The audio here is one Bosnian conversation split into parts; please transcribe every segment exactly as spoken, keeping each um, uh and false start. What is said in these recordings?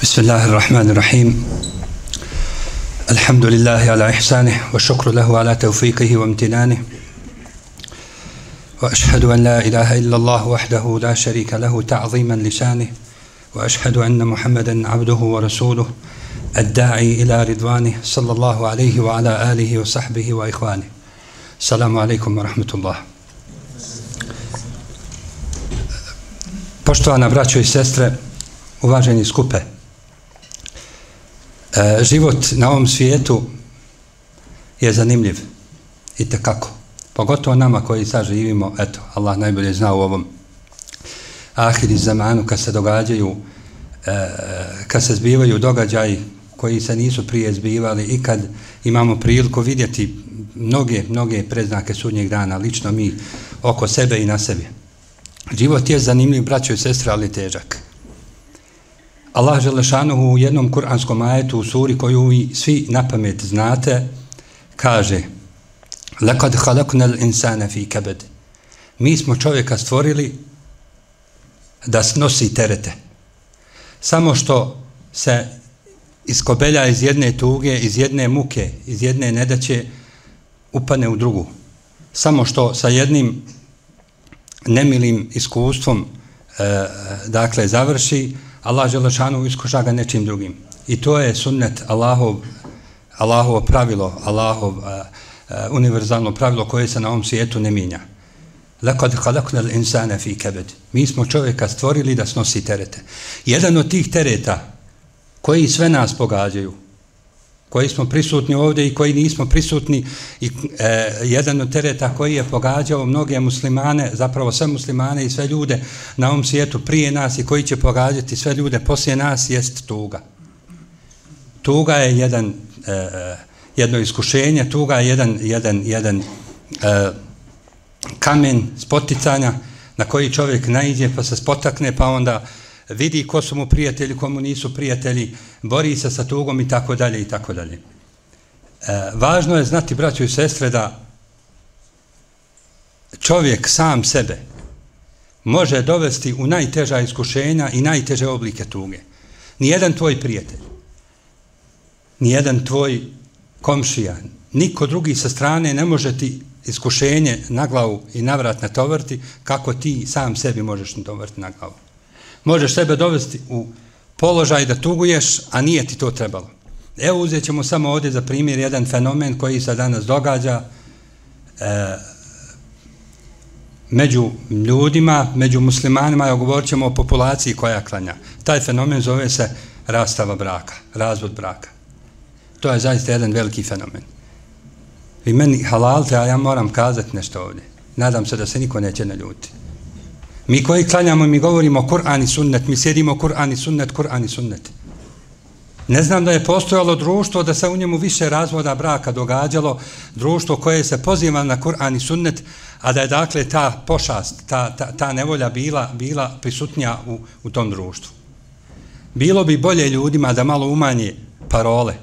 بسم الله الرحمن الرحيم الحمد لله على إحسانه والشكر له على توفيقه وامتنانه وأشهد أن لا إله إلا الله وحده لا شريك له تعظيما لشانه وأشهد أن محمدا عبده ورسوله الداعي إلى رضوانه صلى الله عليه وعلى آله وصحبه وإخوانه. السلام عليكم ورحمة الله. Poštovana braćo i sestre, uvaženi skupe, e, život na ovom svijetu je zanimljiv i tekako. Pogotovo nama koji sad živimo, eto, Allah najbolje zna u ovom ahiri zamanu kad se događaju, e, kad se zbivaju događaji koji se nisu prije zbivali i kad imamo priliku vidjeti mnoge, mnoge predznake sudnjeg dana, lično mi oko sebe i na sebi. Život je zanimljiv, braćo i sestre, ali težak. Allah Želešanuhu u jednom kuranskom ajetu u suri koju vi svi na pamet znate, kaže: لَقَدْ خَلَقْنَا الْإِنسَانَ فِي كَبَدٍ. Mi smo čovjeka stvorili da snosi terete. Samo što se iskobelja iz jedne tuge, iz jedne muke, iz jedne nedaće, upane u drugu. Samo što sa jednim nemilim iskustvom e, dakle završi, Allah Želešanu iskuša ga nečim drugim. I to je sunnet Allahov, Allahovo pravilo, Allahov e, e, univerzalno pravilo koje se na ovom svijetu ne mijenja. لَقَدْ خَلَقْنَا الْإِنسَانَ فِي كَبَدٍ. Mi smo čovjeka stvorili da snosi terete. Jedan od tih tereta koji sve nas pogađaju, koji smo prisutni ovdje i koji nismo prisutni, i e, jedan od tereta koji je pogađao mnoge muslimane, zapravo sve muslimane i sve ljude na ovom svijetu prije nas i koji će pogađati sve ljude poslije nas, jest tuga. Tuga je jedan, e, jedno iskušenje, tuga je jedan, jedan, jedan e, kamen spoticanja na koji čovjek naiđe pa se spotakne, pa onda vidi ko su mu prijatelji, komu nisu prijatelji, bori se sa tugom i tako dalje i tako dalje. E, važno je znati, braćo i sestre, da čovjek sam sebe može dovesti u najteža iskušenja i najteže oblike tuge. Nijedan tvoj prijatelj, nijedan tvoj komšija, niko drugi sa strane ne može ti iskušenje na glavu i na vrat natovariti kako ti sam sebi možeš natovariti na glavu. Možeš sebe dovesti u položaj da tuguješ, a nije ti to trebalo. Evo, uzet ćemo samo ovdje za primjer jedan fenomen koji se danas događa e, među ljudima, među muslimanima, ja govorit ćemo o populaciji koja klanja. Taj fenomen zove se rastava braka, razvod braka. To je zaista jedan veliki fenomen. Vi meni halalte, a ja moram kazati nešto ovdje. Nadam se da se niko neće naljuti. Mi koji klanjamo, mi govorimo Kur'an i sunnet, mi sjedimo Kur'an i sunnet, Kur'an i sunnet. Ne znam da je postojalo društvo da se u njemu više razvoda braka događalo, društvo koje se poziva na Kur'an i sunnet, a da je dakle ta pošast, ta, ta, ta nevolja bila, bila prisutnija u, u tom društvu. Bilo bi bolje ljudima da malo umanje parole.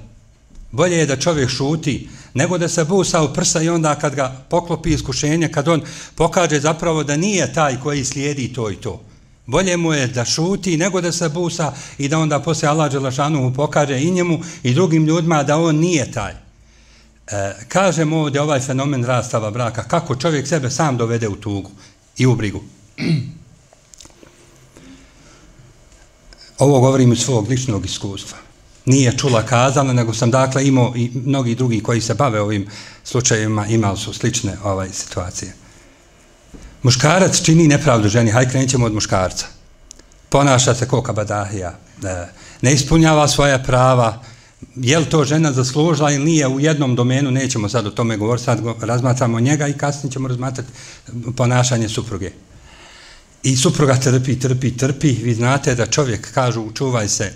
Bolje je da čovjek šuti, nego da se busa u prsa i onda kad ga poklopi iskušenje, kad on pokaže zapravo da nije taj koji slijedi to i to. Bolje mu je da šuti nego da se busa i da onda poslije Allah Đelešanuhu pokaže i njemu i drugim ljudima da on nije taj. E, kažem ovdje ovaj fenomen rastava braka, kako čovjek sebe sam dovede u tugu i u brigu. Ovo govorim iz svog ličnog iskustva. Nije čula kazana, nego sam dakle imao i mnogi drugi koji se bave ovim slučajevima, imali su slične ovaj, situacije. Muškarac čini nepravdu ženi, hajde krenut ćemo od muškarca. Ponaša se ko kabadahija, ne ispunjava svoja prava, je li to žena zaslužila ili nije u jednom domenu, nećemo sad o tome govoriti, sad razmatramo njega i kasnije ćemo razmatrati ponašanje supruge. I supruga trpi, trpi, trpi, vi znate da čovjek, kažu, čuvaj se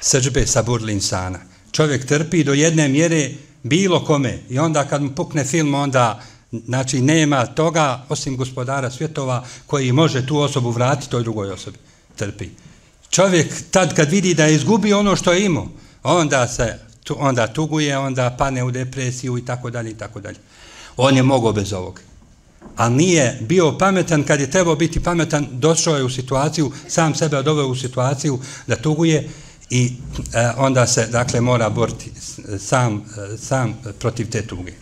srdžbe saburli insana. Čovjek trpi do jedne mjere bilo kome i onda kad mu pukne film, onda znači nema toga osim gospodara svjetova koji može tu osobu vratiti toj drugoj osobi. Trpi. Čovjek tad kad vidi da je izgubio ono što je imao, onda se onda tuguje, onda pane u depresiju i tako dalje i tako dalje. On je mogao bez ovog. A nije bio pametan kad je trebao biti pametan, došao je u situaciju, sam sebe doveo u situaciju da tuguje i e, onda se dakle mora boriti sam, sam protiv te tuge.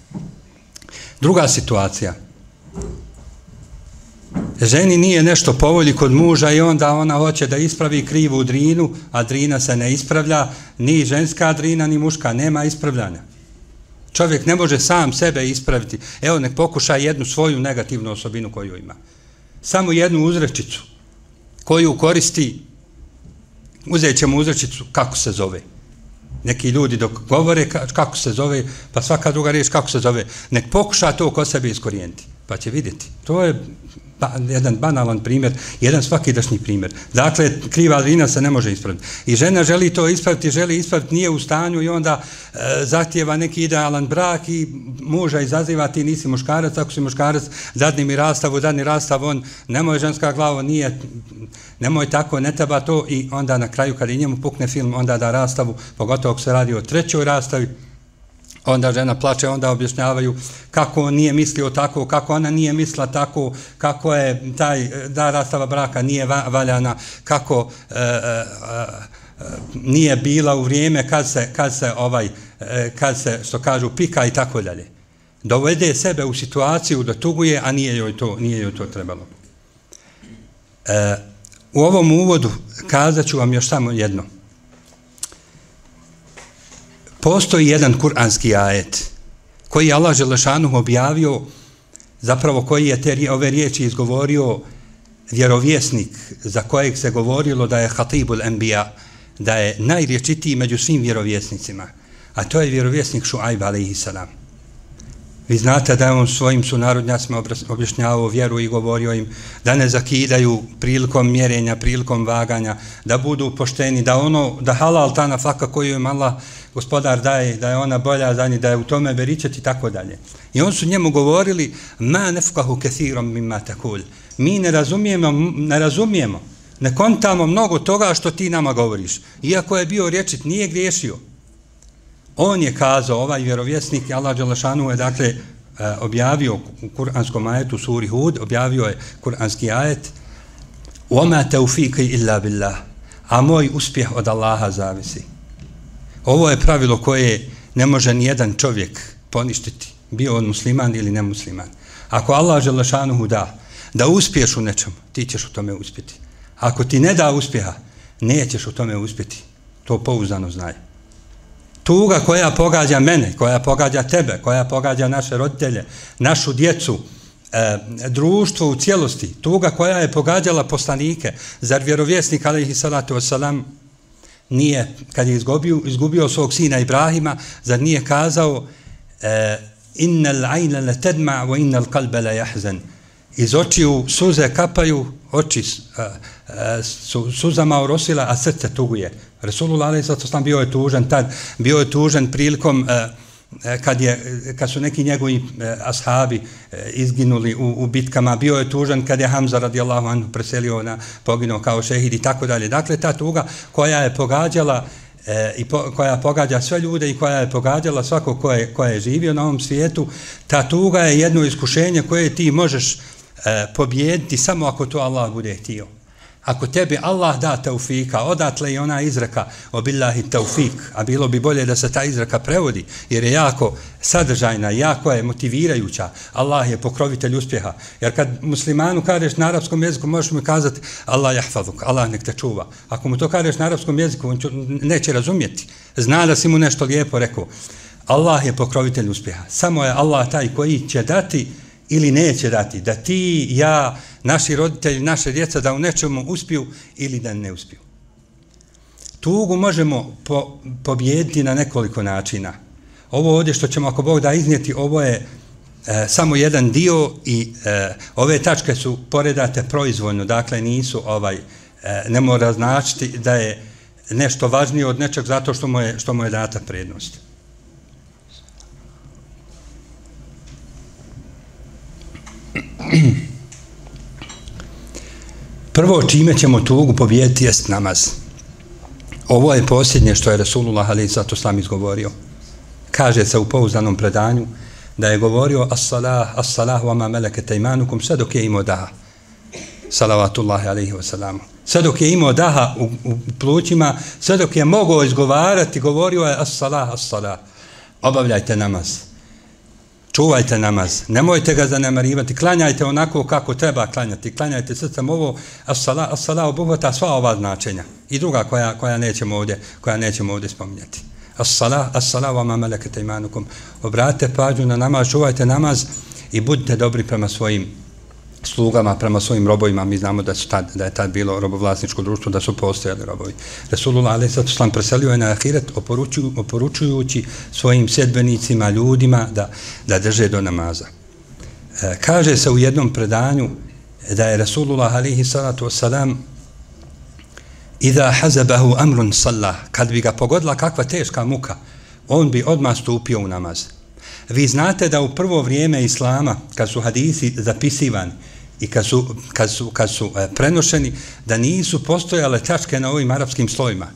Druga situacija. Ženi nije nešto po volji kod muža i onda ona hoće da ispravi krivu drinu, a drina se ne ispravlja, ni ženska drina, ni muška, nema ispravljanja. Čovjek ne može sam sebe ispraviti. Evo, nek pokuša jednu svoju negativnu osobinu koju ima. Samo jednu uzrečicu koju koristi, uzet ćemo uzrečicu kako se zove. Neki ljudi dok govore kako se zove, pa svaka druga riječ kako se zove, nek pokuša to kod sebe iskorijeniti, pa će vidjeti. To je ba, jedan banalan primjer, jedan svakidašnji primjer. Dakle, kriva drina se ne može ispraviti. I žena želi to ispraviti, želi ispraviti, nije u stanju i onda e, zahtijeva neki idealan brak i muža izaziva, ti nisi muškarac, ako si muškarac, dadni mi rastavu, dadni rastav, on, nemoj ženska glava, nije, nemoj tako, ne treba to i onda na kraju kad i njemu pukne film, onda da rastavu, pogotovo ako se radi o trećoj rastavi, onda žena plače, onda objašnjavaju kako on nije mislio tako, kako ona nije mislila tako, kako je taj da rastava braka nije valjana, kako e, e, e, nije bila u vrijeme kad se, kad se ovaj, e, kad se, što kažu, pika i tako dalje. Dovede sebe u situaciju da tuguje, a nije joj to, nije joj to trebalo. E, u ovom uvodu kazat ću vam još samo jedno. Postoji jedan kuranski ajet koji je Allah Želešanuh objavio, zapravo koji je te ove riječi izgovorio vjerovjesnik za kojeg se govorilo da je Hatibul Enbija, da je najriječitiji među svim vjerovjesnicima, a to je vjerovjesnik Šuajb alejhi selam. Vi znate da je on svojim sunarodnjacima objašnjavao vjeru i govorio im da ne zakidaju prilikom mjerenja, prilikom vaganja, da budu pošteni, da ono, da halal ta nafaka koju im Allah gospodar daje, da je ona bolja za njih, da je u tome beričet i tako dalje. I on su njemu govorili ma nefkahu kethirom mimma takul. Mi ne razumijemo, ne razumijemo, ne kontamo mnogo toga što ti nama govoriš. Iako je bio riječit, nije griješio. On je kazao, ovaj vjerovjesnik, Allah Đelešanu je dakle objavio u kuranskom ajetu suri Hud, objavio je kuranski ajet وَمَا تَوْفِيكِ إِلَّا بِاللَّهِ, a moj uspjeh od Allaha zavisi. Ovo je pravilo koje ne može ni jedan čovjek poništiti, bio on musliman ili nemusliman. Ako Allah Đelešanu da, da uspiješ u nečemu, ti ćeš u tome uspjeti. Ako ti ne da uspjeha, nećeš u tome uspjeti. To pouzdano znaj. Tuga koja pogađa mene, koja pogađa tebe, koja pogađa naše roditelje, našu djecu, e, društvo u cijelosti, tuga koja je pogađala poslanike, zar vjerovjesnik alejhi salatu vesselam nije, kad je izgubio, izgubio svog sina Ibrahima, zar nije kazao e, innal ayna la tadma wa innal qalba la yahzan, iz očiju suze kapaju, oči a, a, su suzama orosila, a srce tuguje. Resulullah alejhi salatu vesselam bio je tužan tad, bio je tužan prilikom a, a, kad, je, kad su neki njegovi a, ashabi a, izginuli u, u bitkama, bio je tužan kad je Hamza radijallahu anhu preselio na poginuo kao šehid i tako dalje. Dakle, ta tuga koja je pogađala E, i po, koja pogađa sve ljude i koja je pogađala svako ko je, ko je živio na ovom svijetu, ta tuga je jedno iskušenje koje ti možeš e, pobijediti samo ako to Allah bude htio. Ako tebi Allah da taufika, odatle i ona izreka o billahi taufik, a bilo bi bolje da se ta izreka prevodi, jer je jako sadržajna, jako je motivirajuća. Allah je pokrovitelj uspjeha. Jer kad muslimanu kažeš na arapskom jeziku, možeš mu kazati Allah jahfazuk, Allah nek te čuva. Ako mu to kažeš na arapskom jeziku, on neće razumjeti. Zna da si mu nešto lijepo rekao. Allah je pokrovitelj uspjeha. Samo je Allah taj koji će dati ili neće dati, da ti, ja, naši roditelji, naše djeca da u nečemu uspiju ili da ne uspiju. Tugu možemo po, pobijediti na nekoliko načina. Ovo ovdje što ćemo ako Bog da iznijeti, ovo je e, samo jedan dio i e, ove tačke su poredate proizvoljno, dakle nisu ovaj, e, ne mora značiti da je nešto važnije od nečeg zato što mu je, što mu je data prednost. Prvo čime ćemo tugu pobijediti jest namaz. Ovo je posljednje što je Resulullah alejhi salatu vesselam izgovorio. Kaže se u pouzdanom predanju da je govorio as-salah, as-salah wa ma malakat aymanukum, sve dok je imao da. salavatullahi alaihi wasalam. Sve dok je imao daha u, u plućima, sve dok je mogao izgovarati, govorio je as-salah, as-salah. Obavljajte namaz. Čuvajte namaz. Nemojte ga zanemarivati. Klanjajte onako kako treba klanjati. Klanjajte srcem ovo. As-salah, as-salah obuhvata sva ova značenja. I druga koja, koja nećemo ovdje, koja nećemo ovdje spominjati. As-salah, as-salah wa ma malakat aymanukum. Obratite pažnju na namaz, čuvajte namaz i budite dobri prema svojim slugama, prema svojim robovima. Mi znamo da, su tad, da je tad bilo robovlasničko društvo, da su postojali robovi. Resulullah alejhi ve sellem preselio je na ahiret oporučuju, oporučujući svojim sedbenicima, ljudima da, da drže do namaza. E, kaže se u jednom predanju da je Resulullah alejhi salatu wassalam Iza hazabahu amrun sallah, kad bi ga pogodila kakva teška muka, on bi odmah stupio u namaz. Vi znate da u prvo vrijeme Islama, kad su hadisi zapisivani i kad su, kad su, kad su e, prenošeni, da nisu postojale tačke na ovim arapskim slojima.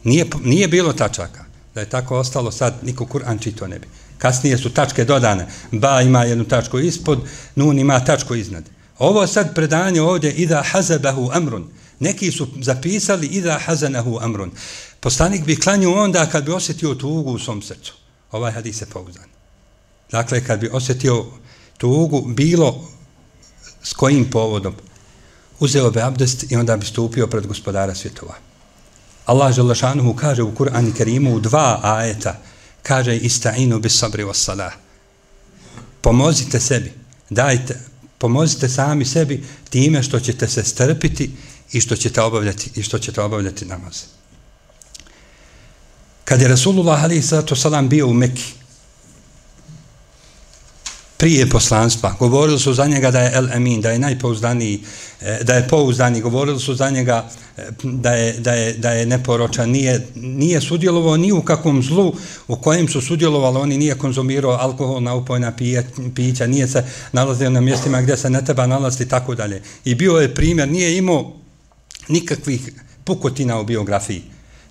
Nije, nije bilo tačaka. Da je tako ostalo, sad niko Kur'an čito ne bi. Kasnije su tačke dodane. Ba ima jednu tačku ispod, nun ima tačku iznad. Ovo sad predanje ovdje, Iza hazabahu amrun. Neki su zapisali Iza hazanahu amrun. Poslanik bi klanjao onda kad bi osjetio tugu u svom srcu. Ovaj hadis je pouzdan. Dakle, kad bi osjetio tugu, bilo s kojim povodom, uzeo bi abdest i onda bi stupio pred gospodara svjetova. Allah dželle kaže u Kur'anu Kerimu u dva ajeta, kaže ista'inu bis sabri was salah. Pomozite sebi, dajte, pomozite sami sebi time što ćete se strpiti i što ćete obavljati i što ćete obavljati namaz. Kad je Resulullah alejhi salatu vesselam bio u Mekki, prije poslanstva, govorili su za njega da je El Amin, da je najpouzdaniji, da je pouzdani, govorili su za njega da je, da je, da je neporočan, nije, nije sudjelovao ni u kakvom zlu u kojem su sudjelovali, oni nije konzumirao alkoholna upojna pića, nije se nalazio na mjestima gdje se ne treba nalaziti i tako dalje. I bio je primjer, nije imao nikakvih pukotina u biografiji.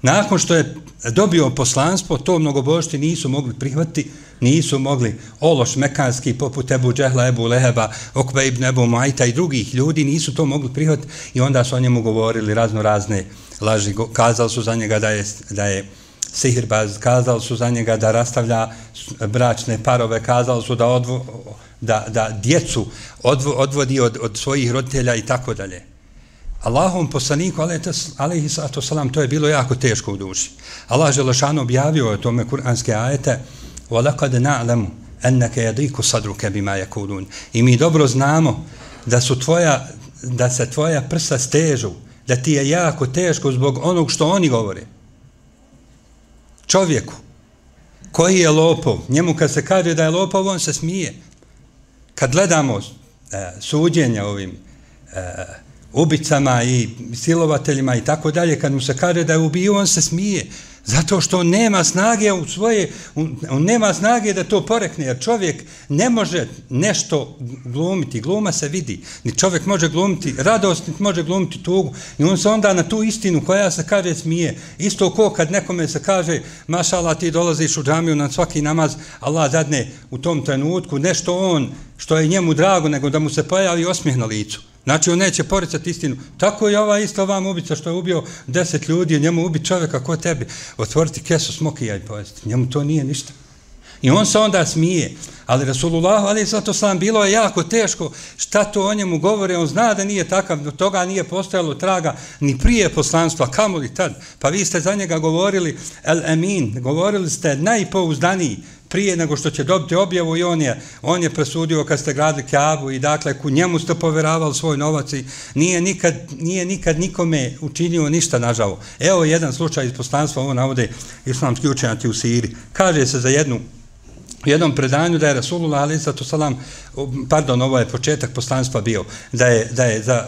Nakon što je dobio poslanstvo, to mnogobožci nisu mogli prihvatiti, nisu mogli ološ mekanski poput Ebu Džehla, Ebu Leheba, Okbe ibn Ebu Muajta i drugih ljudi nisu to mogli prihvatiti i onda su o njemu govorili razno razne laži. Kazali su za njega da je, da je sihirbaz, kazali su za njega da rastavlja bračne parove, kazali su da, odvo, da, da djecu odvo, odvodi od, od svojih roditelja i tako dalje. Allahom poslaniku, alejhi salatu vesselam, to je bilo jako teško u duši. Allah dželešanu objavio je tome kuranske ajete وَلَقَدْ نَعْلَمُ أَنَّكَ يَضِيقُ صَدْرُكَ بِمَا يَقُولُونَ. I mi dobro znamo da su tvoja, da se tvoja prsa stežu, da ti je jako teško zbog onog što oni govore. Čovjeku koji je lopov, njemu kad se kaže da je lopov, on se smije. Kad gledamo e, suđenja ovim e, ubicama i silovateljima i tako dalje, kad mu se kaže da je ubio, on se smije. Zato što on nema snage u svoje, on nema snage da to porekne, jer čovjek ne može nešto glumiti, gluma se vidi, ni čovjek može glumiti radost, ni može glumiti tugu, i on se onda na tu istinu koja se kaže smije. Isto ko kad nekome se kaže, mašallah, ti dolaziš u džamiju na svaki namaz, Allah dadne u tom trenutku nešto on, što je njemu drago, nego da mu se pojavi osmijeh na licu. Znači, on neće poricati istinu. Tako je ova isto vam ubica što je ubio deset ljudi, njemu ubi čovjeka ko tebi, otvoriti kesu smokija i pojesti. Njemu to nije ništa. I on se onda smije. Ali Rasulullah, ali zato sam bilo je jako teško šta to o njemu govore. On zna da nije takav, do toga nije postojalo traga ni prije poslanstva, kamoli tad. Pa vi ste za njega govorili El Amin, govorili ste najpouzdaniji prije nego što će dobiti objavu i on je, on je presudio kad ste gradili Kaabu i dakle ku njemu ste poveravali svoj novac i nije nikad, nije nikad nikome učinio ništa nažao. Evo jedan slučaj iz poslanstva, ovo navode islamski učenjaci u Siriji. Kaže se za jednu u jednom predanju da je Rasulullah alejhi salatu vesselam, pardon, ovo je početak poslanstva bio, da je, da je za,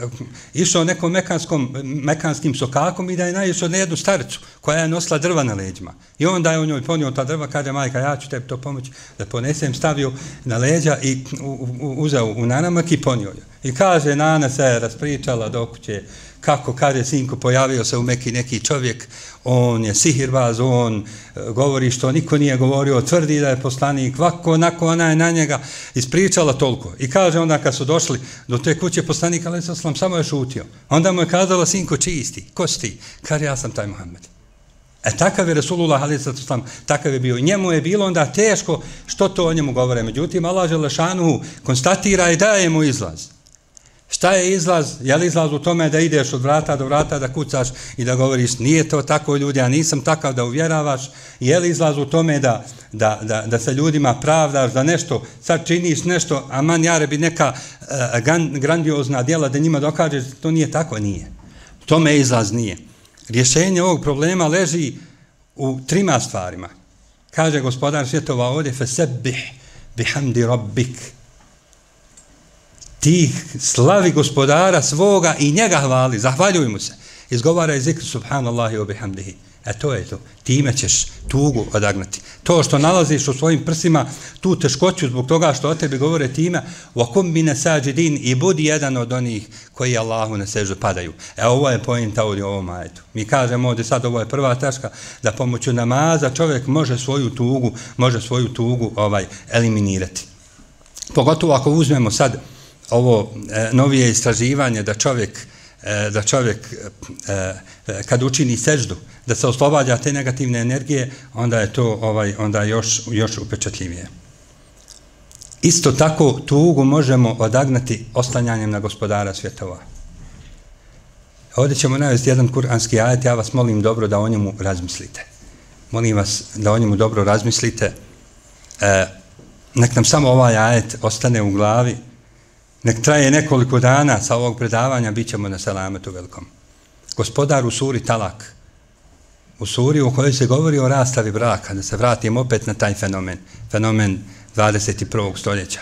uh, uh, išao nekom mekanskom, mekanskim sokakom i da je naišao na jednu staricu koja je nosila drva na leđima. I onda je on njoj ponio ta drva, kaže majka, ja ću tebi to pomoći da ponesem, stavio na leđa i u, u, uzeo u nanamak i ponio je. I kaže, nana se raspričala do kuće, kako kaže sinko, pojavio se u Meki neki čovjek, on je sihirbaz, on govori što niko nije govorio, tvrdi da je poslanik, ovako, onako, ona je na njega ispričala toliko. I kaže onda kad su došli do te kuće poslanik, ali sam samo je šutio. Onda mu je kazala, sinko, čisti, ko si ti? Kaže, ja sam taj Muhammed. E takav je Resulullah, ali sam takav je bio. I njemu je bilo onda teško što to o njemu govore. Međutim, Allah Želešanuhu konstatira i daje mu izlaz. Šta je izlaz? Je li izlaz u tome da ideš od vrata do vrata, da kucaš i da govoriš nije to tako ljudi, ja nisam takav da uvjeravaš? Je li izlaz u tome da, da, da, da se ljudima pravdaš, da nešto, sad činiš nešto, a man jare bi neka uh, grandiozna djela da njima dokažeš, to nije tako, nije. Tome izlaz nije. Rješenje ovog problema leži u trima stvarima. Kaže gospodar svjetova ovdje, fesebbih bihamdi rabbik. Ti slavi gospodara svoga i njega hvali, zahvaljuj mu se. Izgovaraj zikr subhanallahi wa bihamdihi. E to je to. Time ćeš tugu odagnati. To što nalaziš u svojim prsima, tu teškoću zbog toga što o tebi govore time, wakum mine sađidin, i budi jedan od onih koji Allahu na sežu padaju. E ovo je pojenta ovdje u ovom ajetu. Mi kažemo ovdje sad, ovo je prva tačka, da pomoću namaza čovjek može svoju tugu, može svoju tugu ovaj eliminirati. Pogotovo ako uzmemo sad ovo e, novije istraživanje da čovjek e, da čovjek e, kad učini seždu da se oslobađa te negativne energije, onda je to ovaj onda još još upečatljivije. Isto tako tugu možemo odagnati oslanjanjem na gospodara svjetova. Ovdje ćemo navesti jedan kuranski ajet, ja vas molim dobro da o njemu razmislite. Molim vas da o njemu dobro razmislite. E, nek nam samo ovaj ajet ostane u glavi. Nek traje nekoliko dana sa ovog predavanja, bit ćemo na selametu velikom. Gospodar u suri Talak, u suri u kojoj se govori o rastavi braka, da se vratim opet na taj fenomen, fenomen dvadeset prvog stoljeća.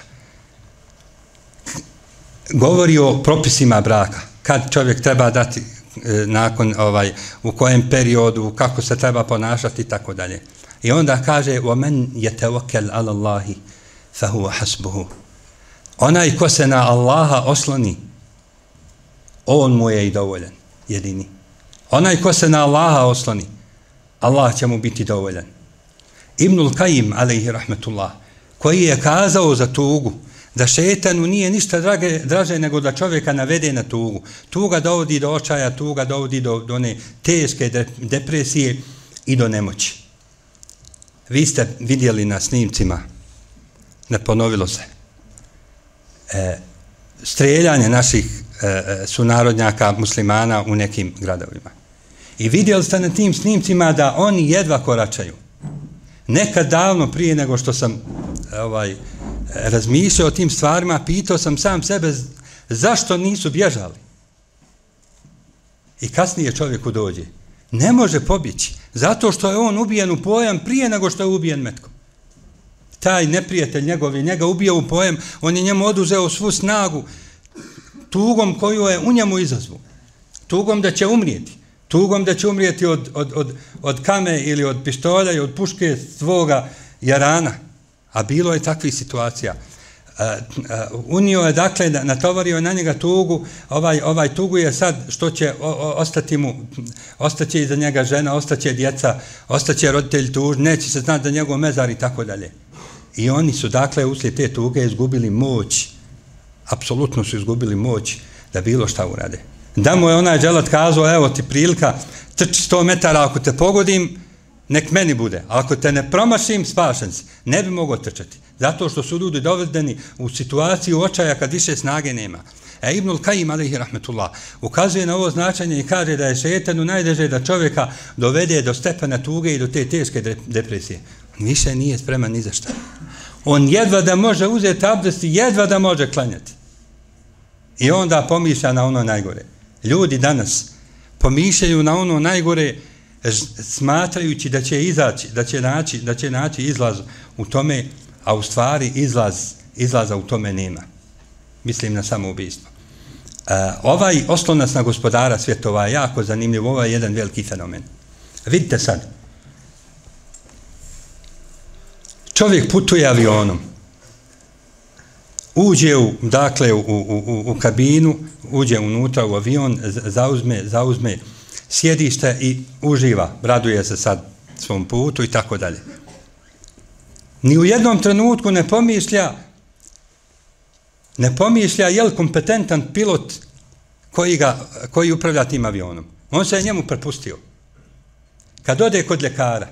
Govori o propisima braka, kad čovjek treba dati e, nakon, ovaj, u kojem periodu, kako se treba ponašati i tako dalje. I onda kaže, وَمَنْ يَتَوَكَلْ عَلَى اللَّهِ فَهُوَ حَسْبُهُ. Onaj ko se na Allaha osloni, on mu je i dovoljan, jedini. Onaj ko se na Allaha osloni, Allah će mu biti dovoljan. Ibnul Kajim, alejhi rahmetullah, koji je kazao za tugu, da šetanu nije ništa drage, draže nego da čovjeka navede na tugu. Tuga dovodi do očaja, tuga dovodi do, do one teške de, depresije i do nemoći. Vi ste vidjeli na snimcima, ne ponovilo se, E, streljanje naših e, sunarodnjaka muslimana u nekim gradovima. I vidjeli ste na tim snimcima da oni jedva koračaju. Nekad davno prije nego što sam ovaj, razmišljao o tim stvarima, pitao sam sam sebe zašto nisu bježali. I kasnije čovjeku dođe. Ne može pobjeći, zato što je on ubijen u pojam prije nego što je ubijen metkom. Taj neprijatelj njegov je njega ubio u pojem, on je njemu oduzeo svu snagu tugom koju je u njemu izazvu. Tugom da će umrijeti. Tugom da će umrijeti od, od, od, od kame ili od pištolja i od puške svoga jarana. A bilo je takvih situacija. Uh, uh, unio je, dakle, natovario na njega tugu, ovaj, ovaj tugu je sad što će o, o, ostati mu, ostaće iza njega žena, ostaće djeca, ostaće roditelj tuž, neće se znati da njegov mezar i tako dalje. I oni su, dakle, uslijed te tuge izgubili moć, apsolutno su izgubili moć da bilo šta urade. Da mu je onaj dželat kazao, evo ti prilika, trči sto metara, ako te pogodim, nek meni bude. A ako te ne promašim, spašen si. Ne bi mogao trčati. Zato što su ljudi dovedeni u situaciju očaja kad više snage nema. E Ibnul Kajim, alejhi rahmetullah, ukazuje na ovo značenje i kaže da je šetanu najdeže da čovjeka dovede do stepena tuge i do te teške depresije. On više nije spreman ni za šta. On jedva da može uzeti abdest i jedva da može klanjati. I onda pomišlja na ono najgore. Ljudi danas pomišljaju na ono najgore smatrajući da će izaći, da će naći, da će naći izlaz u tome, a u stvari izlaz, izlaza u tome nema. Mislim na samoubistvo. Uh, ovaj oslonac na gospodara svjetova je jako zanimljiv, ovo je jedan veliki fenomen. Vidite sad, čovjek putuje avionom. uđe u, dakle, u, u, u, u kabinu, uđe unutra u avion, zauzme, zauzme sjedište i uživa, raduje se sad svom putu i tako dalje. Ni u jednom trenutku ne pomišlja, ne pomišlja je li kompetentan pilot koji, ga, koji upravlja tim avionom. On se je njemu prepustio. Kad ode kod ljekara,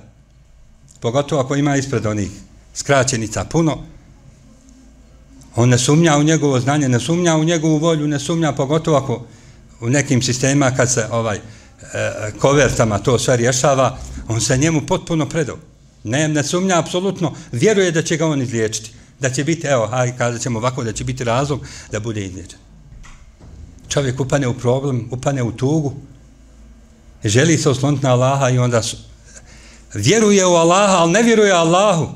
pogotovo ako ima ispred onih skraćenica puno, on ne sumnja u njegovo znanje, ne sumnja u njegovu volju, ne sumnja pogotovo ako u nekim sistemima kad se ovaj e, kovertama to sve rješava, on se njemu potpuno predao. Ne, ne sumnja apsolutno, vjeruje da će ga on izliječiti. Da će biti, evo, hajde kazat ćemo ovako, da će biti razlog da bude izliječen. Čovjek upane u problem, upane u tugu, želi se osloniti na Allaha i onda su, vjeruje u Allaha, ali ne vjeruje Allahu.